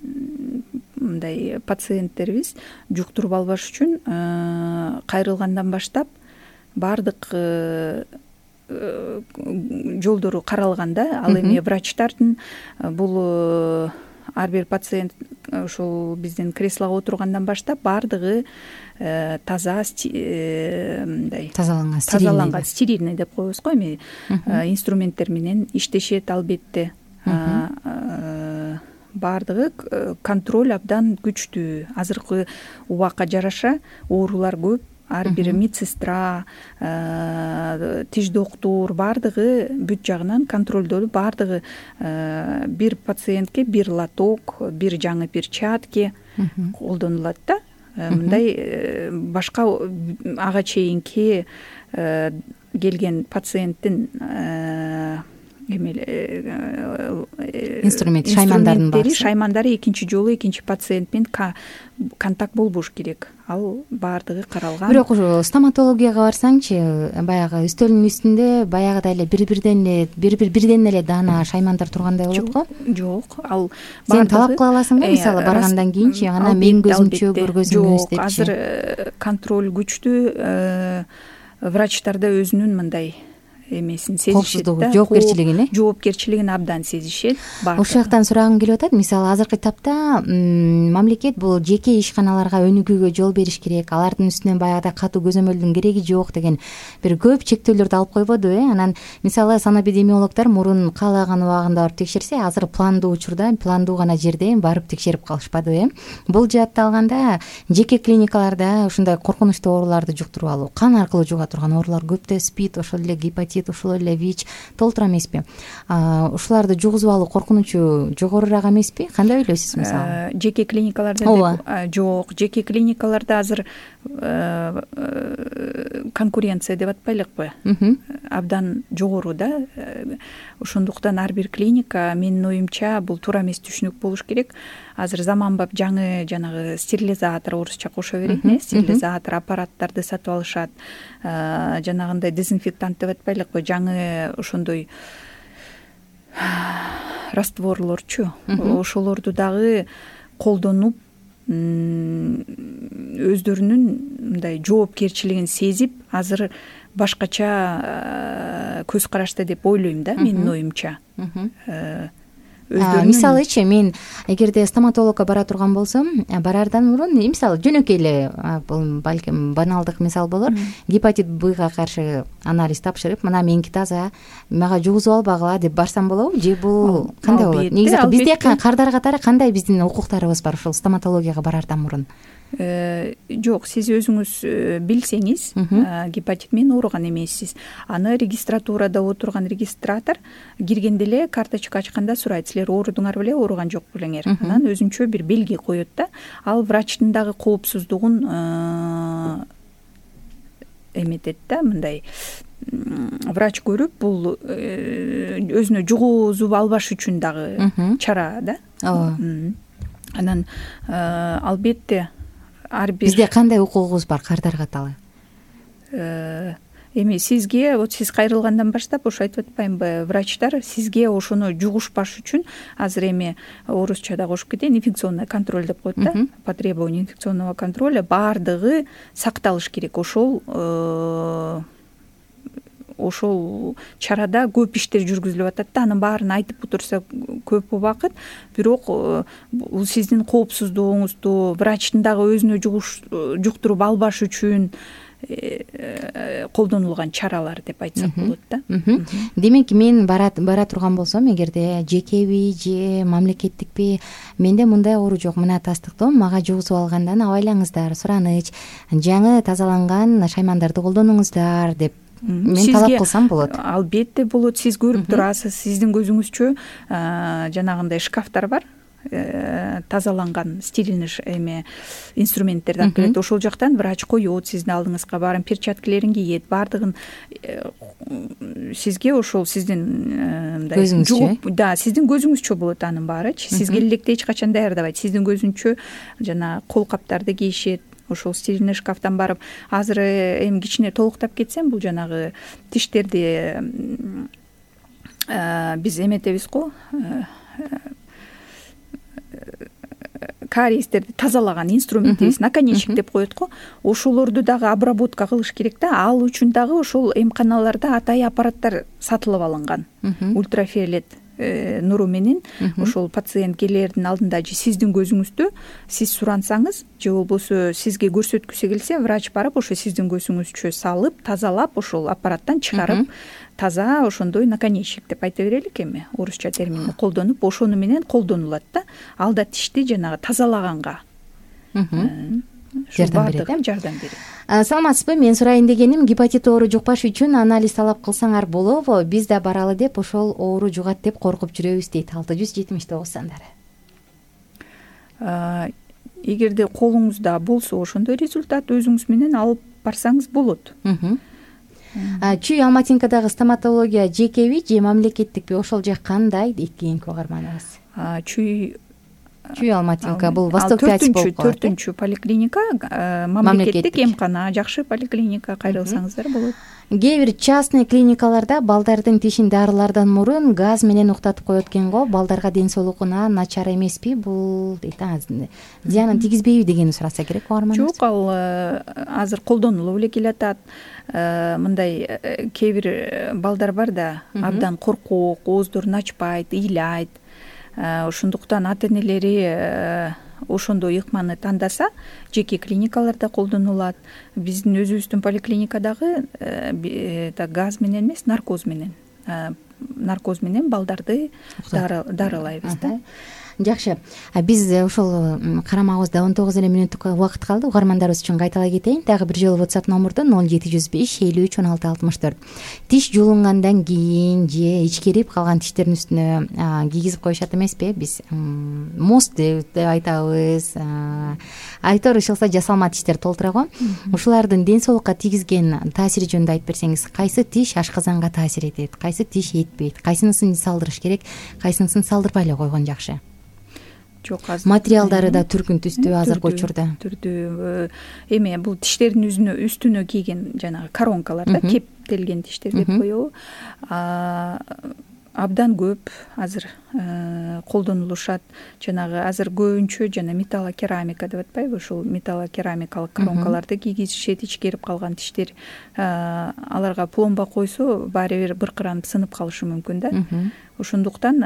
мындай пациенттерибиз жуктуруп албаш үчүн кайрылгандан баштап баардык жолдору каралган да. Ал эми врачтардын бул ар бир пациент ушул биздин креслого отургандан баштап баардыгы таза мындай тазаланган тазаланган стерильный деп коебуз го эми инструменттер менен иштешет. Албетте баардыгы контроль абдан күчтүү. Азыркы убакка жараша оорулар көп. Ар бир медсестра, тиш доктур баардыгы бүт жагынан контролдолуп, баардыгы бир пациентке бир лоток, бир жаңы перчатки колдонулат да. Мындай башка ага чейинки келген пациенттин инструмент шаймандардын баары шаймандары экинчи жолу экинчи пациент менен контакт болбош керек. Ал баардыгы каралган. Бирок ушу стоматологияга барсаңчы, баягы үстөлдүн үстүндө баягыдай эле бири-бирден эле бири-бир бирден эле даана шаймандар тургандай болот го? Жок, ал сен талап кыла аласыңбы? Мисалы баргандан кийинчи анан менин көзүмчө көргөзүңүз депчи. Азыр контроль күчтүү. Врачтарда өзүнүн мындай эмесин сезишет да, жоопкерчилигин жоопкерчилигин абдан сезишет. Ошол жактан сурагым келип атат. Мисалы азыркы этапта мамлекет бул жеке ишканаларга өнүгүүгө жол бериш керек, алардын үстүнөн баягыдай катуу көзөмөлдүн кереги жок деген бир көп чектөөлөрдү алып койбоду э? Анан мисалы санэпидемиологдор мурун каалаган убагында барып текшерсе, азыр пландуу учурда, пландуу гана жерде барып текшерип калышпады э? Бул жаатта алганда жеке клиникаларда ушундай коркунучтуу ооруларды жуктуруп алуу, кан аркылуу жуга турган оорулар көп да, спид, ошол эле гепатит, ошол эле ВИЧ толтура эмеспи? Ушуларды жугузуп алуу коркунучу жогорураак эмеспи? Кандай ойлойсуз мисалы? Жеке клиникаларда деп жок, жеке клиникаларда азыр конкуренция деп атпайлыкпы? Абдан жогору да. Ошондуктан ар бир клиника, менин оюмча, бул туура эмес түшүнүк болуш керек. Азыр заманбап жаңы жанагы стерилизатор, орусча кошо берет э, стерилизатор аппараттарды сатып алышат. Жанагындай дезинфектант деп атпайлыкпы? Жаңы ошондой растворлорчу. Ошолорду дагы колдонуп, өздөрүнүн мындай жоопкерчилигин сезип, азыр башкача көз карашта деп ойлойм да, менин оюмча. Мисалычы, мен эгерде стоматологко бара турган болсом, барардан мурун, мисалы жөнөкөй эле, бул балким баналдык мисал болор, гепатит Б-га каршы анализ тапшырып, мына меники таза, мага жугузуп албагыла деп барсам болобу? Же бул кандай болот? Негизи бизде кардар катары кандай биздин укуктарыбыз бар ушул стоматологияга барардан мурун? Жок, сиз өзүңүз билсеңиз, гепатит менен ооруган эмессиз. Аны регистратурада отурган регистратор киргенде эле карточка ачканда сурайт: силер оорудуңар беле, ооруган жок белеңер? Анан өзүнчө бир белги коет да. Ал врачтын дагы коопсуздугун эметет да, мындай врач көрүп, бул өзүнө жугузуп албаш үчүн дагы чара да. Анан албетте ар бир бизде кандай укугубуз бар кардар катары? Эми сизге, вот сиз кайрылгандан баштап ошо айтып атпаймынбы, врачтар сизге ошону жугушпаш үчүн, азыр эми орусчада кошуп кетейин, инфекционный контроль деп коет да, по требованию инфекционного контроля баардыгы сакталыш керек. Ошол ошол чарада көп иштер жүргүзүлүп атат да. Анын баарын айтып отурса көп убакыт, бирок бул сиздин коопсуздугуңузду, врачтын дагы өзүнө жуктуруп албаш үчүн колдонулган чаралар деп айтсак болот да. Демек, мен бара турган болсом, эгерде жекеби же мамлекеттикпи, менде мындай оору жок, мына тастыктоо мага жугузуп алгандан абайлаңыздар, сураныч, жаңы тазаланган шаймандарды колдонуңуздар деп мен талап кылсам болот? Албетте болот. Сиз көрүп турасыз, сиздин көзүңүзчө жанагындай шкафтар бар, тазаланган стерильный эме инструменттерди алып келет. Ошол жактан врач коет сиздин алдыңызга, баарын перчаткалерин кийет, баардыгын сизге ошол сиздин мындай көзүңүзчө, да, сиздин көзүңүзчө болот анын баарычы. Сизге электе эч качан даярдабайт, сиздин көзүнчө жана кол каптарды кийишет. Ошол стерильный шкафтан барып, азыр эми кичине толуктап кетсем, бул жанагы тиштерди биз эметебиз го, кариестерди тазалаган инструментибиз, наконечник деп коет го. Ошолорду дагы обработка кылыш керек да. Ал үчүн дагы ошол эмканаларда атайын аппараттар сатылып алынган. Ультрафиолет нуру менен ошол пациент келердин алдында же сиздин көзүңүздө сиз сурансаңыз же болбосо сизге көрсөткүсү келсе врач барып ошо сиздин көзүңүзчө салып тазалап ошол аппараттан чыгарып таза ошондой наконечник деп айта берелик, эми орусча терминди колдонуп ошону менен колдонулат да. Ал да тишти жанагы тазалаганга жардам берет, жардам берет. Саламатсызбы? Мен сурайын дегеним, гепатит оору жукпаш үчүн анализ талап кылсаңар болобу? Биз да баралы деп ошол оору жугат деп коркуп жүрөбүз дейт алты жүз жетимиш тогуз сандары. Эгерде колуңузда болсо ошондой результат өзүңүз менен алып барсаңыз болот. Чүй Алматинкадагы стоматология жекеби же мамлекеттикпи? Ошол жак кандай дейт кийинки угарманыбыз. Чүй Чүй Алматинка бул Восток пять болуп калат. төртүнчү поликлиника, мамлекеттик эмкана, жакшы поликлиника, кайрылсаңыздар болот. Кээ бир частный клиникаларда балдардын тишин дарылардан мурун газ менен уктатып коет экен го. Балдарга ден соолугуна начар эмеспи бул дейт? Зыянын тийгизбейби дегени сураса керек угарманыбыз. Жок, ал азыр колдонулуп эле келатат. Мындай кээ бир балдар бар да, абдан коркок, ооздорун ачпайт, ыйлайт. Ошондуктан ата энелери ошондой ыкманы тандаса, жеке клиникаларда колдонулат. Биздин өзүбүздүн поликлиникадагы газ менен эмес, наркоз менен наркоз менен балдарды дарылайбыз да. Жакшы. Биз ошол карамагыбызда он тогуз эле мүнөттүк убакыт калды. Угармандарыбыз үчүн кайталай кетейин. Дагы бир жолу WhatsApp номурду ноль жети жүз беш элүү үч он алты алтымыш төрт. Тиш жуулунгандан кийин же ичкерип калган тиштердин үстүнө кийгизип коюшат эмеспи? Биз мост деп айтабыз. Айтор ишылса жасалма тиштер толтура го. Ушулардын ден соолукка тийгизген таасири жөнүндө айтып берсеңиз, кайсы тиш ашказанга таасир этет, кайсы тиш этпейт, кайсынысын салдырыш керек, кайсынысын салдырбай эле койгон жакшы? Жок, азыр материалдары да түркүн түстүү азыркы учурда. Түрдүү. Эми бул тиштердин үстүнө үстүнө кийген жанагы коронкалар да, кептелген тиштер деп коебу. Абдан көп азыр колдонулушат. Жанагы азыр көбүнчө жана металлокерамика деп атпайбы, ушул металлокерамикалык коронкаларды кийгизишет, ичкерип калган тиштер. Аларга пломба койсо баары бир быркыранып сынып калышы мүмкүн да. Ошондуктан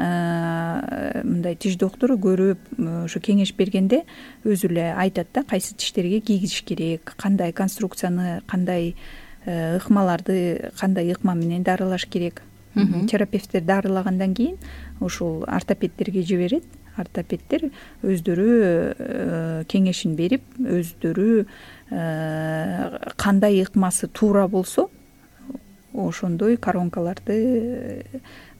мындай тиш доктору көрүп, ошо кеңеш бергенде өзү эле айтат да, кайсы тиштерге кийгизиш керек, кандай конструкцияны, кандай ыкмаларды, кандай ыкма менен дарылаш керек. Терапевттер дарылагандан кийин ушул ортопедтерге жиберет. Ортопедтер өздөрү кеңешин берип, өздөрү кандай ыкмасы туура болсо, ошондой коронкаларды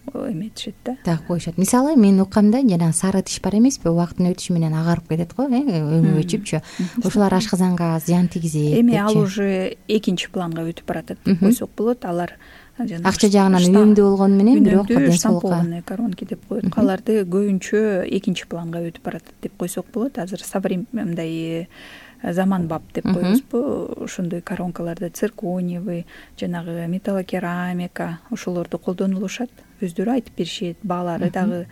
эметишет да. Так коюшат. Мисалы, мен уккамда жана сары тиш бар эмеспи, убакыттын өтүшү менен агарып кетет го, өңү өчүпчү. Ошолар ашказанга зыян тийгизет. Эми ал уже экинчи планга өтүп баратат деп койсок болот. Алар акча жагынан үнөмдүү болгону менен бирок ден соолукка коронки деп коет. Аларды көбүнчө экинчи планга өтүп баратат деп койсок болот. Азыр современный заманбап деп коебузбу, ошондой коронкаларды циркониевый, жанагы металлокерамика, ошолорду колдонулушат. Өздөрү айтып беришет, баалары дагы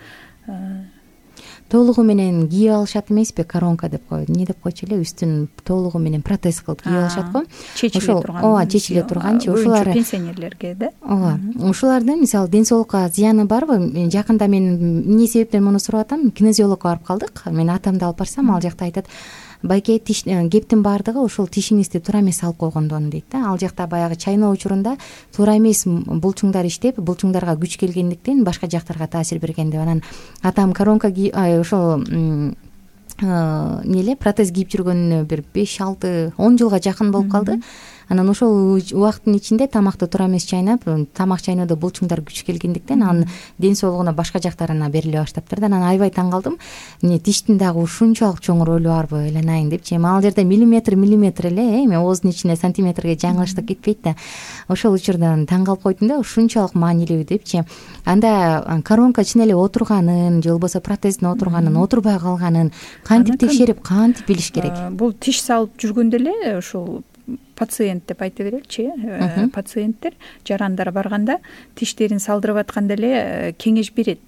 толугу менен кийип алышат эмеспи? Коронка деп коет. Не деп койчу эле, үстүн толугу менен протез кылып кийип алышат го. Чечиле турган. Ооба, чечиле турганчы. Ошолар пенсионерлерге да. Ооба. Ошолардын мисалы ден соолукка зыяны барбы? Жакында мен эмне себептен муну сурап атам? Кинезиологко барып калдык. Мен атамды алып барсам, ал жакта айтат, байке тиш кептин баардыгы ошол тишиңизди туура эмес алып койгондон дейт да. Ал жакта баягы чайноо учурунда туура эмес булчуңдар иштеп, булчуңдарга күч келгендиктен башка жактарга таасир берген деп. Анан атам коронка ошол эмне протез кийип жүргөнүнө бир беш алты он жылга жакын болуп калды. Анан ошол убакыттын ичинде тамакты туура эмес чайнап, тамак чайноодо булчуңдар күч келгендиктен анын ден соолугуна башка жактарына бериле баштаптыр да. Анан аябай таң калдым. Эмне тиштин дагы ушунчалык чоң ролу барбы, эланайын депчи. Эми ал жерде миллиметр миллиметр эле, эми ооздун ичине сантиметрге жаңылыштык кетпейт да. Ошол учурдан таң калып койдум да, ушунчалык маанилүү депчи. Анда коронка чын эле отурганын, же болбосо протездин отурганын, отурбай калганын кантип текшерип, кантип билиш керек? Бул тиш салып жүргөндө эле ошол пациент деп айта береличи, пациенттер жарандар барганда тиштерин салдырып атканда эле кеңеш берет.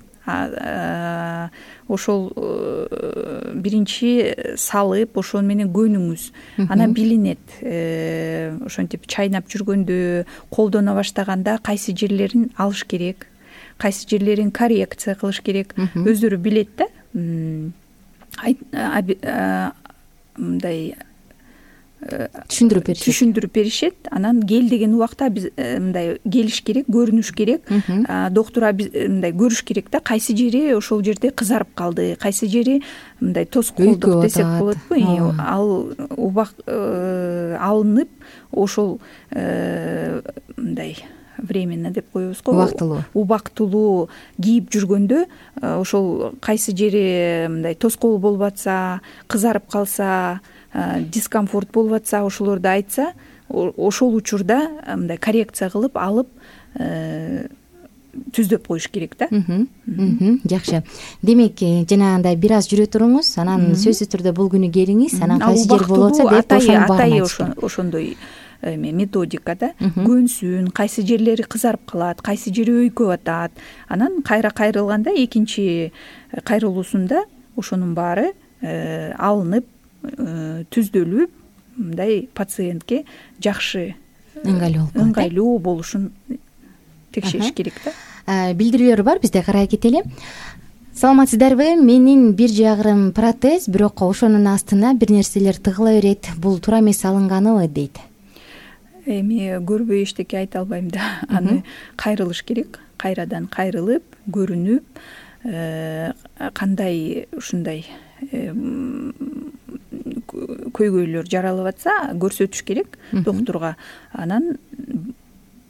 Ошол биринчи салып, ошол менен көнүңүз, анан билинет. Ошентип чайнап жүргөндө, колдоно баштаганда кайсы жерлерин алыш керек, кайсы жерлерин коррекция кылыш керек, өздөрү билет да. Мындай түшүндүрүп беришет түшүндүрүп беришет анан кел деген убакта биз мындай келиш керек, көрүнүш керек, доктур мындай көрүш керек да, кайсы жери ошол жерде кызарып калды, кайсы жери мындай тоскоолдук десек болотпу, ал убак алынып ошол мындай временно деп коебуз го, убактылуу убактылуу кийип жүргөндө ошол кайсы жери мындай тоскоол болуп атса, кызарып калса, дискомфорт болуп атса, ошолорду айтса, ошол учурда мындай коррекция кылып алып түздөп коюш керек да. Жакшы. Демек, жанагындай бир аз жүрө туруңуз, анан сөзсүз түрдө бул күнү келиңиз, анан кайсы жер болуп атса деп ошонун баарын айтып ошондой методикада көнсүн, кайсы жерлери кызарып калат, кайсы жери өйкөп атат, анан кайра кайрылганда экинчи кайрылуусунда ошонун баары алынып, түздөлүп, мындай пациентке жакшы ыңгайлуу болушун текшериш керек да. Билдирүүлөр бар, бизде карай кетели. Саламатсыздарбы? Менин бир жагырым протез, бирок ошонун астына бир нерселер тыгыла берет. Бул туура эмес алынганыбы дейт. Эми көрбөй эчтеке айта албайм да. Аны кайрылыш керек. Кайрадан кайрылып, көрүнүп, кандай ушундай көйгөйлөр жаралып атса көрсөтүш керек доктурга. Анан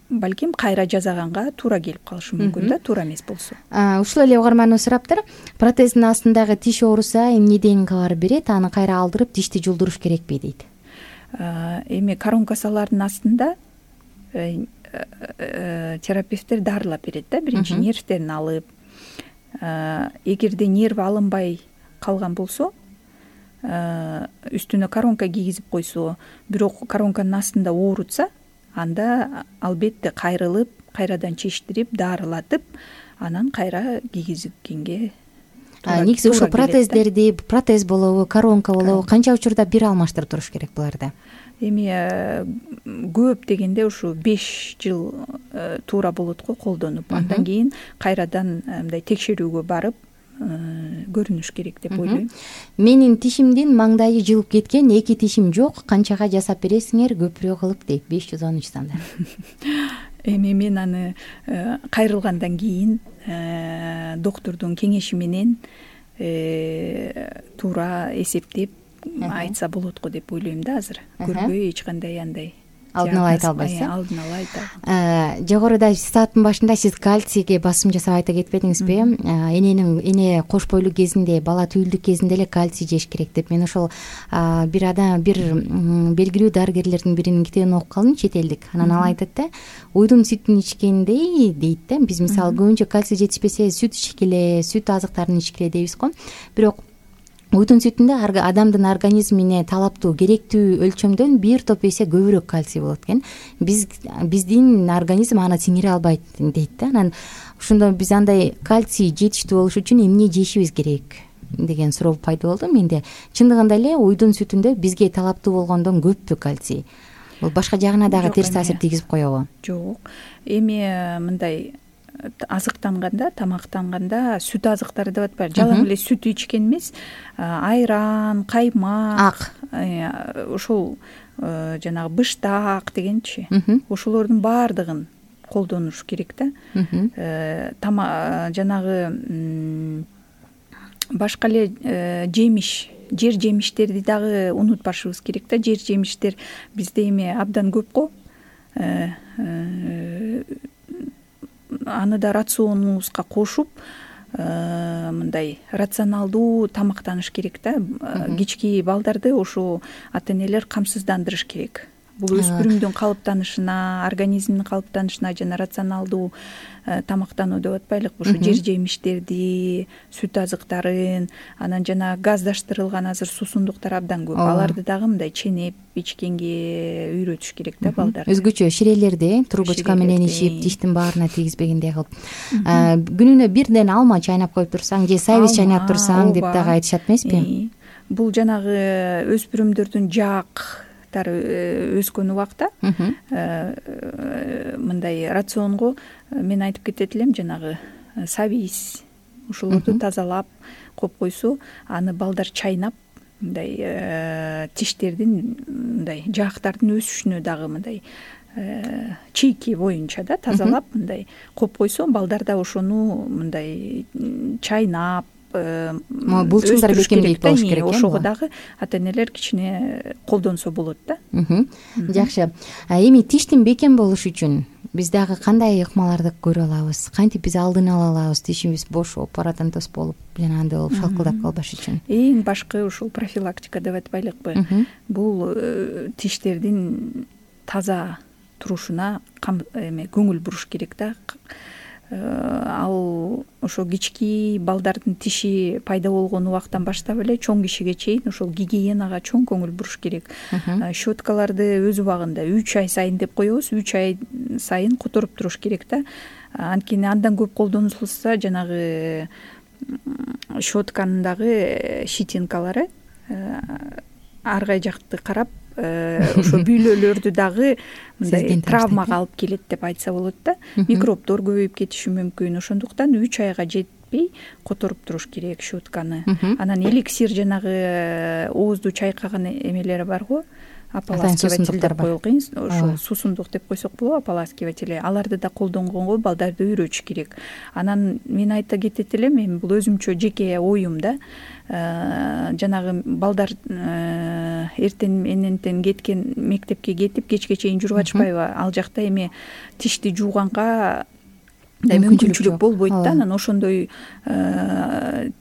балким кайра жасаганга туура келип калышы мүмкүн да, туура эмес болсо. Ушул эле угарманыбыз сураптыр. Протездин астындагы тиш ооруса эмнеден кабар берет? Аны кайра алдырып тишти жулдуруш керекпи дейт. Эми коронкасалардын астында терапевттер дарылап берет да, биринчи нервтерин алып. Эгерде нерв алынбай калган болсо, үстүнө коронка кийгизип койсо, бирок коронканын астында оорутса, анда албетте кайрылып, кайрадан чечтирип, дарылатып, анан кайра кийгизгенге туура. Негизи ушул протездерди, протез болобу, коронка болобу, канча учурда бир алмаштырып туруш керек буларды? Эми көп дегенде ушу беш жыл туура болот го колдонуп, андан кийин кайрадан мындай текшерүүгө барып көрүнүш керек деп ойлойм. Менин тишимдин маңдайы жылып кеткен, эки тишим жок, канчага жасап бересиңер, көпүрөөк кылып дейт. беш жүз он үч санда. Эми мен аны кайрылгандан кийин доктурдун кеңеши менен туура эсептеп айтса болот го деп ойлойм да азыр. Көрбөй эч кандай андай алдын ала айта албайсыз. Алдын ала айта. Жогоруда сааттын башында сиз кальцийге басым жасап айта кетпедиңизби? Эненин эне кош бойлуу кезинде, бала түйүлдүк кезинде эле кальций жеш керек деп. Мен ошол бир адам, бир белгилүү дарыгерлердин биринин китебин окуп калдым, чет элдик. Анан ал айтат да, уйдун сүтүн ичкендей дейт да. Биз мисалы көбүнчө кальций жетишпесе сүт ичкиле, сүт азыктарын ичкиле дейбиз го. Бирок уйдун сүтүндө адамдын организмине талаптуу, керектүү өлчөмдөн бир топ эсе көбүрөөк кальций болот экен. Биз биздин организм аны сиңире албайт дейт да. Анан ошондо биз андай кальций жетиштүү болуш үчүн эмне жешибиз керек деген суроо пайда болду менде. Чындыгында эле уйдун сүтүндө бизге талаптуу болгондон көппү кальций? Бул башка жагына дагы терс таасир тийгизип коебу? Жок. Эми мындай азыктанганда, тамактанганда сүт азыктары деп атпайбы, жалаң эле сүт ичкен эмес, айран, каймак, ошол жанагы быштак дегенчи, ошолордун баардыгын колдонуш керек да. Жанагы башка эле жемиш, жер жемиштерди дагы унутпашыбыз керек да. Жер жемиштер бизде эми абдан көп го. Аны да рационубузга кошуп, мындай рационалдуу тамактаныш керек да. Кички балдарды ошо ата-энелер камсыздандырыш керек. Бул өспүрүмдүн калыптанышына, организмдин калыптанышына жана рационалдуу тамактануу деп атпайлыкпы, ошо жер жемиштерди, сүт азыктарын, анан жана газдаштырылган азыр суусундуктар абдан көп. Аларды дагы мындай ченеп ичкенге үйрөтүш керек да балдарды. Өзгөчө ширелерди трубочка менен ичип, тиштин баарына тийгизбегендей кылып. Күнүнө бирден алма чайнап коюп турсаң же сайвиз чайнап турсаң деп дагы айтышат эмеспи? Бул жанагы өспүрүмдөрдүн жаак өскөн убакта мындай рационго мен айтып кетет элем, жанагы сабиз ошолорду тазалап коюп койсо, аны балдар чайнап мындай тиштердин мындай жаактардын өсүшүнө дагы мындай чийки боюнча да тазалап мындай коюп койсо, балдар да ошону мындай чайнап булчуңдар бекемдейт болуш керек. Ошого дагы ата энелер кичине колдонсо болот да. Жакшы. Эми тиштин бекем болушу үчүн биз дагы кандай ыкмаларды көрө алабыз? Кантип биз алдын ала алабыз тишибиз бошоп, паратентоз болуп, жанагындай болуп шалкылдап калбаш үчүн? Эң башкы ушул профилактика деп атпайлыкпы? Бул тиштердин таза турушуна эме көңүл буруш керек да. Ал ошо кички балдардын тиши пайда болгон убактан баштап эле чоң кишиге чейин ошол гигиенага чоң көңүл буруш керек. Щеткаларды өз убагында үч ай сайын деп коебуз, үч ай сайын которуп туруш керек да. Анткени андан көп колдонулса, жанагы щетканын дагы щетинкалары ар кай жакты карап, ошо бүйлөлөрдү дагы мындай травмага алып келет деп айтса болот да. Микробдор көбөйүп кетиши мүмкүн. Ошондуктан үч айга жетпей которуп туруш керек щетканы. Анан эликсир, жанагы оозду чайкаган эмелери барго, ополаскиватель деп коелгон, ошо суусундук деп койсок болобу, ополаскиватель. Аларды да колдонгонго балдарды үйрөтүш керек. Анан мен айта кетет элем, эми бул өзүмчө жеке оюм да. Жанагы балдар эртең менен кеткен, мектепке кетип кечке чейин жүрүп атышпайбы? Ал жакта эми тишти жууганга мүмкүнчүлүк болбойт да. Анан ошондой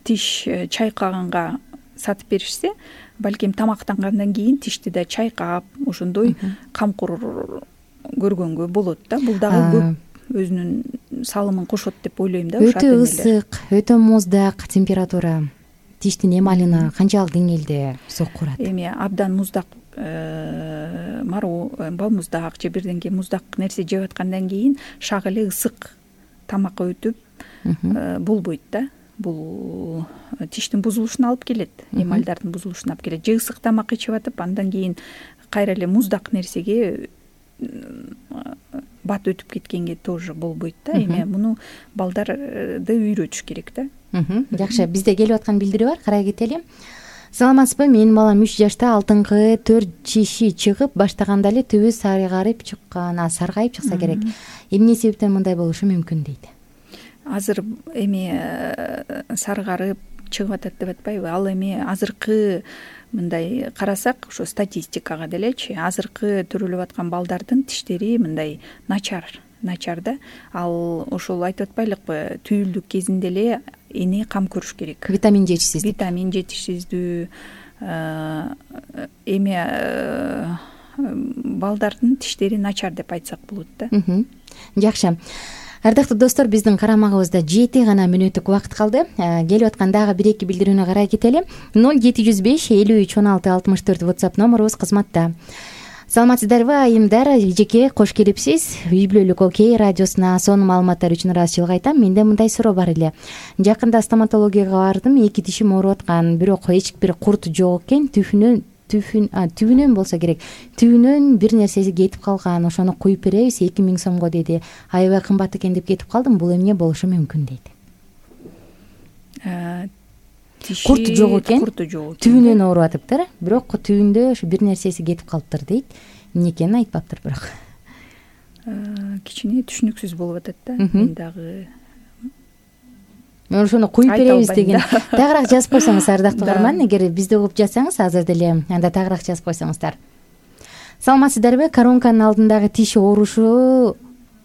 тиш чайкаганга сатып беришсе, балким тамактангандан кийин тишти да чайкап, ошондой камкор көргөнгө болот да. Бул дагы көп өзүнүн салымын кошот деп ойлойм да. Өтө ысык, өтө муздак температура тиштин эмалына канчалык деңгээлде сокку урат? Эми абдан муздак, мароо, балмуздак же бирденке муздак нерсе жеп аткандан кийин шак эле ысык тамакка өтүп болбойт да. Бул тиштин бузулушуна алып келет, эмальдардын бузулушуна алып келет. Же ысык тамак ичип атып, андан кийин кайра эле муздак нерсеге бат өтүп кеткенге тоже болбойт да. Эми муну балдарды үйрөтүш керек да. Жакшы, бизде келип аткан билдирүү бар, карай кетели. Саламатсызбы? Менин балам үч жашта алтыңкы төрт чиши чыгып баштаганда эле түбү саргайып чыккан, саргайып чыкса керек. Эмне себептен мындай болушу мүмкүн дейт? Азыр эми саргарып чыгып атат деп атпайбы? Ал эми азыркы мындай карасак, ошо статистикага делечи, азыркы төрөлүп аткан балдардын тиштери мындай начар, начар да. Ал ошол айтып атпайлыкпы, түйүлдүк кезинде эле эне кам көрүш керек. Витамин жетишсиз. Витамин жетишсиздүү. Эми балдардын тиштери начар деп айтсак болот да. Жакшы. Ардактуу достор, биздин карамагыбызда жети гана мүнөттүк убакыт калды. Келип аткан дагы бир эки билдирүүнү карай кетели. ноль жети жүз беш элүү үч он алты алтымыш төрт WhatsApp номерубуз кызматта. Саламатсыздарбы айымдар, эжеке, кош келипсиз. Үй бүлөлүк Окей радиосуна сонун маалыматтар үчүн ыраазычылык айтам. Менде мындай суроо бар эле. Жакында стоматологияга бардым, эки тишим ооруп аткан, бирок эч бир курт жок экен, түфүнөн түфүн түбүнөн болсо керек. Түбүнөн бир нерсеси кетип калган. Ошону куюп беребиз, эки миң сомго деди. Аябай кымбат экен деп кетип калдым. Бул эмне болушу мүмкүн дейт? Курт жок экен. Түбүнөн ооруп атыптыр, бирок түбүндө ошо бир нерсеси кетип калыптыр дейт. Эмне экенин айтпаптыр бирок. Кичине түшүнүксүз болуп атат да. Мен дагы ошону куюп беребиз деген. Тагыраак жазып койсоңуз, ардактуу угарман, эгер бизди угуп жатсаңыз азыр деле, анда тагыраак жазып койсоңуздар. Саламатсыздарбы? Коронканын алдындагы тиш оорушу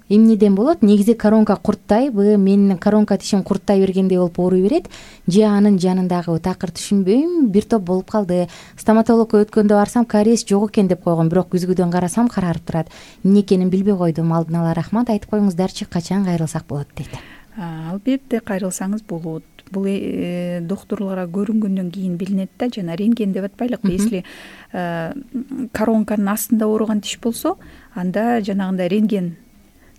эмнеден болот? Негизи коронка курттайбы? Менин коронка тишим курттай бергендей болуп ооруй берет. Же анын жанындагы такыр түшүнбөйм, бир топ болуп калды. Стоматологко өткөндө барсам, кариес жок экен деп койгон, бирок күзгүдөн карасам карарып турат. Эмне экенин билбей койдум. Алдын ала рахмат, айтып коюңуздарчы, качан кайрылсак болот дейт. Албетте кайрылсаңыз болот. Бул доктурларга көрүнгөндөн кийин билинет да, жана рентген деп атпайлыкпы. Если коронканын астында ооруган тиш болсо, анда жанагындай рентген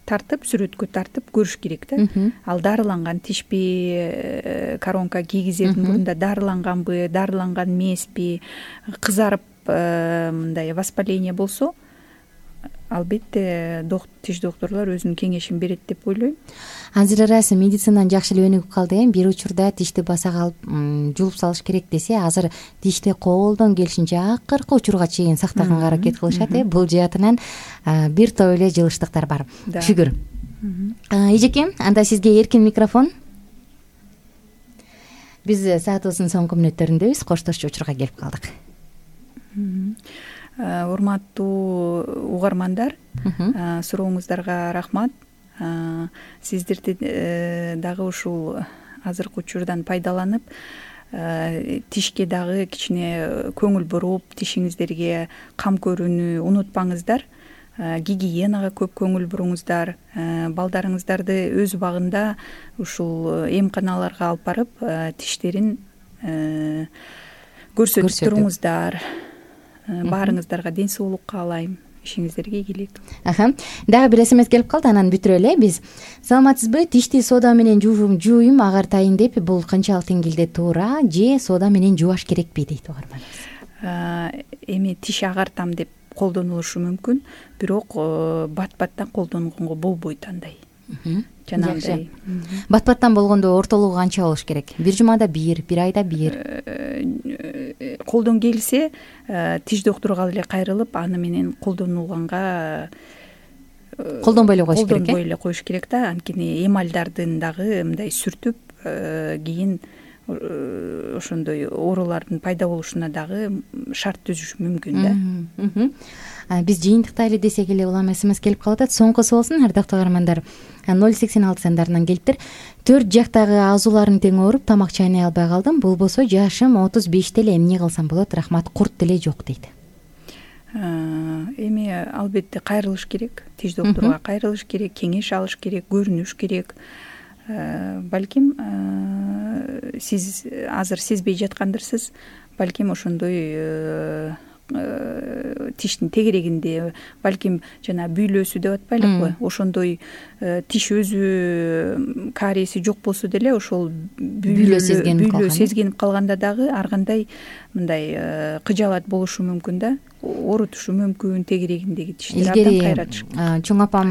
тартып, сүрөткө тартып көрүш керек да. Ал дарыланган тишпи, коронка кийгизердин мурунда дарыланганбы, дарыланган эмеспи, кызарып мындай воспаление болсо, албетте тиш докторлор өзүнүн кеңешин берет деп ойлойм. азыр ырасы медицинадан жакшы эле өнүгүп калды э бир учурда тишти баса калып жуулуп салыш керек десе, азыр тишти колдон келишинче акыркы учурга чейин сактаганга аракет кылышат э бул жаатынан бир топ эле жылыштыктар бар. Шүгүр. Эжеке, анда сизге эркин микрофон. Биз саатыбыздын соңку мүнөттөрүндөбүз, коштошчу учурга келип калдык. Урматтуу угармандар, сурооңуздарга рахмат. Сиздерди дагы ушул азыркы учурдан пайдаланып, тишке дагы кичине көңүл буруп, тишиңиздерге кам көрүүнү унутпаңыздар. Гигиенага көп көңүл буруңуздар. Балдарыңыздарды өз убагында ушул эмканаларга алып барып, тиштерин көрсөтүп туруңуздар. Баарыңыздарга ден соолук каалайм. Ишиңиздерге ийгилик. Аха. Дагы бир смс келип калды, анан бүтүрөлү. Биз саламатсызбы? Тишти сода менен жуум, жууйм агартайын деп, бул канчалык деңгээлде туура, же сода менен жуаш керекпи дейт угарманыбыз. Эми тиш агартам деп колдонулушу мүмкүн, бирок бат-баттан колдонгонго болбойт андай. Жанагындай. Бат-баттан болгондо ортолугу канча болуш керек? Бир жумада бир, бир айда бир. Колдон келсе, тиш докторуга эле кайрылып, аны менен колдонулганга колдонбой эле коюш керек. Колдонбой эле коюш керек да, анткени эмальдардын дагы мындай сүртүп, кийин ошондой оорулардын пайда болушуна дагы шарт түзүшү мүмкүн да. Биз жыйынтыктай эле десек эле улам смс келип калып атат. Соңкусу болсун, ардактуу угармандар. ноль сексен алты сандарынан келиптир. Төрт жактагы азууларым тең ооруп, тамак чайнай албай калдым. Болбосо жашым отуз беште эле, эмне кылсам болот? Рахмат, курт деле жок дейт. Эми албетте кайрылыш керек, тиш докторуга кайрылыш керек, кеңеш алыш керек, көрүнүш керек. Балким сиз азыр сезбей жаткандырсыз, балким ошондой тиштин тегерегинде, балким жана бүйлөсү деп атпайлыкпы, ошондой тиш өзү кариеси жок болсо деле ошол бүйлө сезгенип калганда дагы ар кандай мындай кыжаалат болушу мүмкүн да, оорутушу мүмкүн тегерегиндеги тиштер абдан кайратыш. Чоң апам,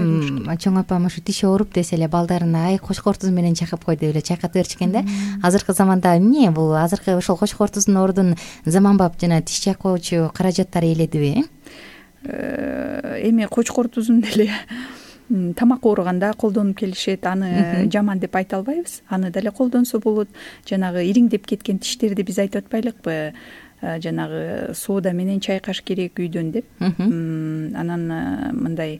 чоң апам ушу тиши ооруп десе эле балдарына ай кочкор туз менен чакып кой деп эле чакыртып беришкен да. Азыркы заманда эмне бул? Азыркы ошол кочкор туздун ордун заманбап жана тиш чакоочу каражаттар ээледиби? Эми кочкор тузун деле тамак ооруганда колдонуп келишет, аны жаман деп айта албайбыз. Аны деле колдонсо болот. Жанагы ириңдеп кеткен тиштерди биз айтып атпайлыкпы? Жанагы сода менен чайкаш керек үйдөн деп. Анан мындай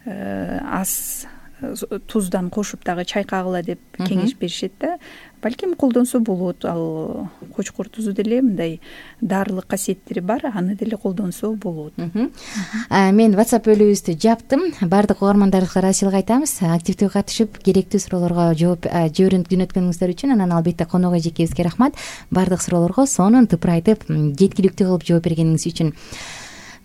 аз туздан кошуп дагы чайкагыла деп кеңеш беришет да. Балким колдонсо болот. Ал кочкор тузу деле мындай дарылык касиеттери бар, аны деле колдонсо болот. Мен WhatsApp бөлүбүздү жаптым. Бардык угармандарыбызга ыраазычылык айтабыз. Активдүү катышып, керектүү суроолорго жооп жиберип күнөткөнүңүздөр үчүн. Анан албетте конок эжекебизге рахмат. Бардык суроолорго сонун тыпырайтып, жеткиликтүү кылып жооп бергениңиз үчүн.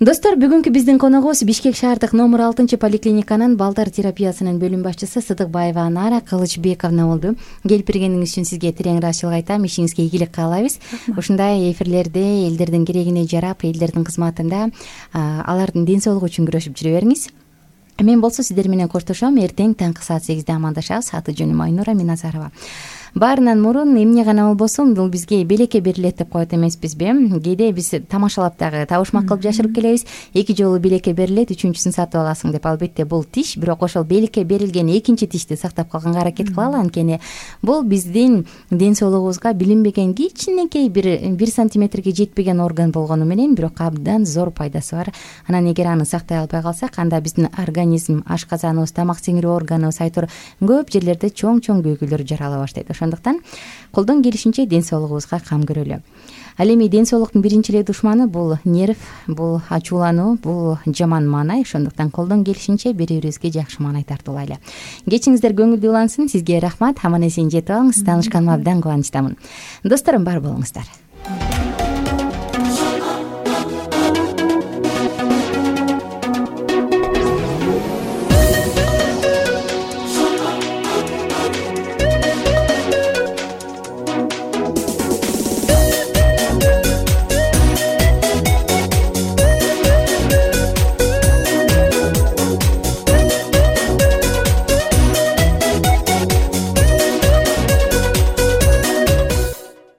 Достор, бүгүнкү биздин коногубуз Бишкек шаардык номер алтынчы поликлиниканын балдар терапиясынын бөлүм башчысы Сыдыкбаева Анара Кылычбековна болду. Келип бергениңиз үчүн сизге терең ыраазычылык айтам. Ишиңизге ийгилик каалайбыз. Ушундай эфирлерде элдердин керегине жарап, элдердин кызматында алардын ден соолугу үчүн күрөшүп жүрө бериңиз. Мен болсо сиздер менен коштошом. Эртең таңкы саат сегизде амандашабыз. Аты жөнүм Айнура Миназарова. Баарынан мурун эмне гана болбосун, бул бизге белекке берилет деп коет эмеспизби? Кээде биз тамашалап дагы табышмак кылып жашырып келебиз. Эки жолу белекке берилет, үчүнчүсүн сатып аласың деп. Албетте бул тиш, бирок ошол белекке берилген экинчи тишти сактап калганга аракет кылалы, анткени бул биздин ден соолугубузга билинбеген кичинекей бир бир сантиметрге жетпеген орган болгону менен, бирок абдан зор пайдасы бар. Анан эгер аны сактай албай калсак, анда биздин организм, ашказаныбыз, тамак сиңирүү органыбыз айтор көп жерлерде чоң-чоң күйгүлөр жарала баштайт. Ошондуктан колдон келишинче ден соолугубузга кам көрөлү. Ал эми ден соолуктун биринчи эле душманы бул нерв, бул ачуулануу, бул жаман маанай. Ошондуктан колдон келишинче бири-бирибизге жакшы маанай тартуулайлы. Кечиңиздер көңүлдүү улансын. Сизге рахмат. Аман эсен жетип алыңыз. Таанышканыма абдан кубанычтамын. Досторум, бар болуңуздар.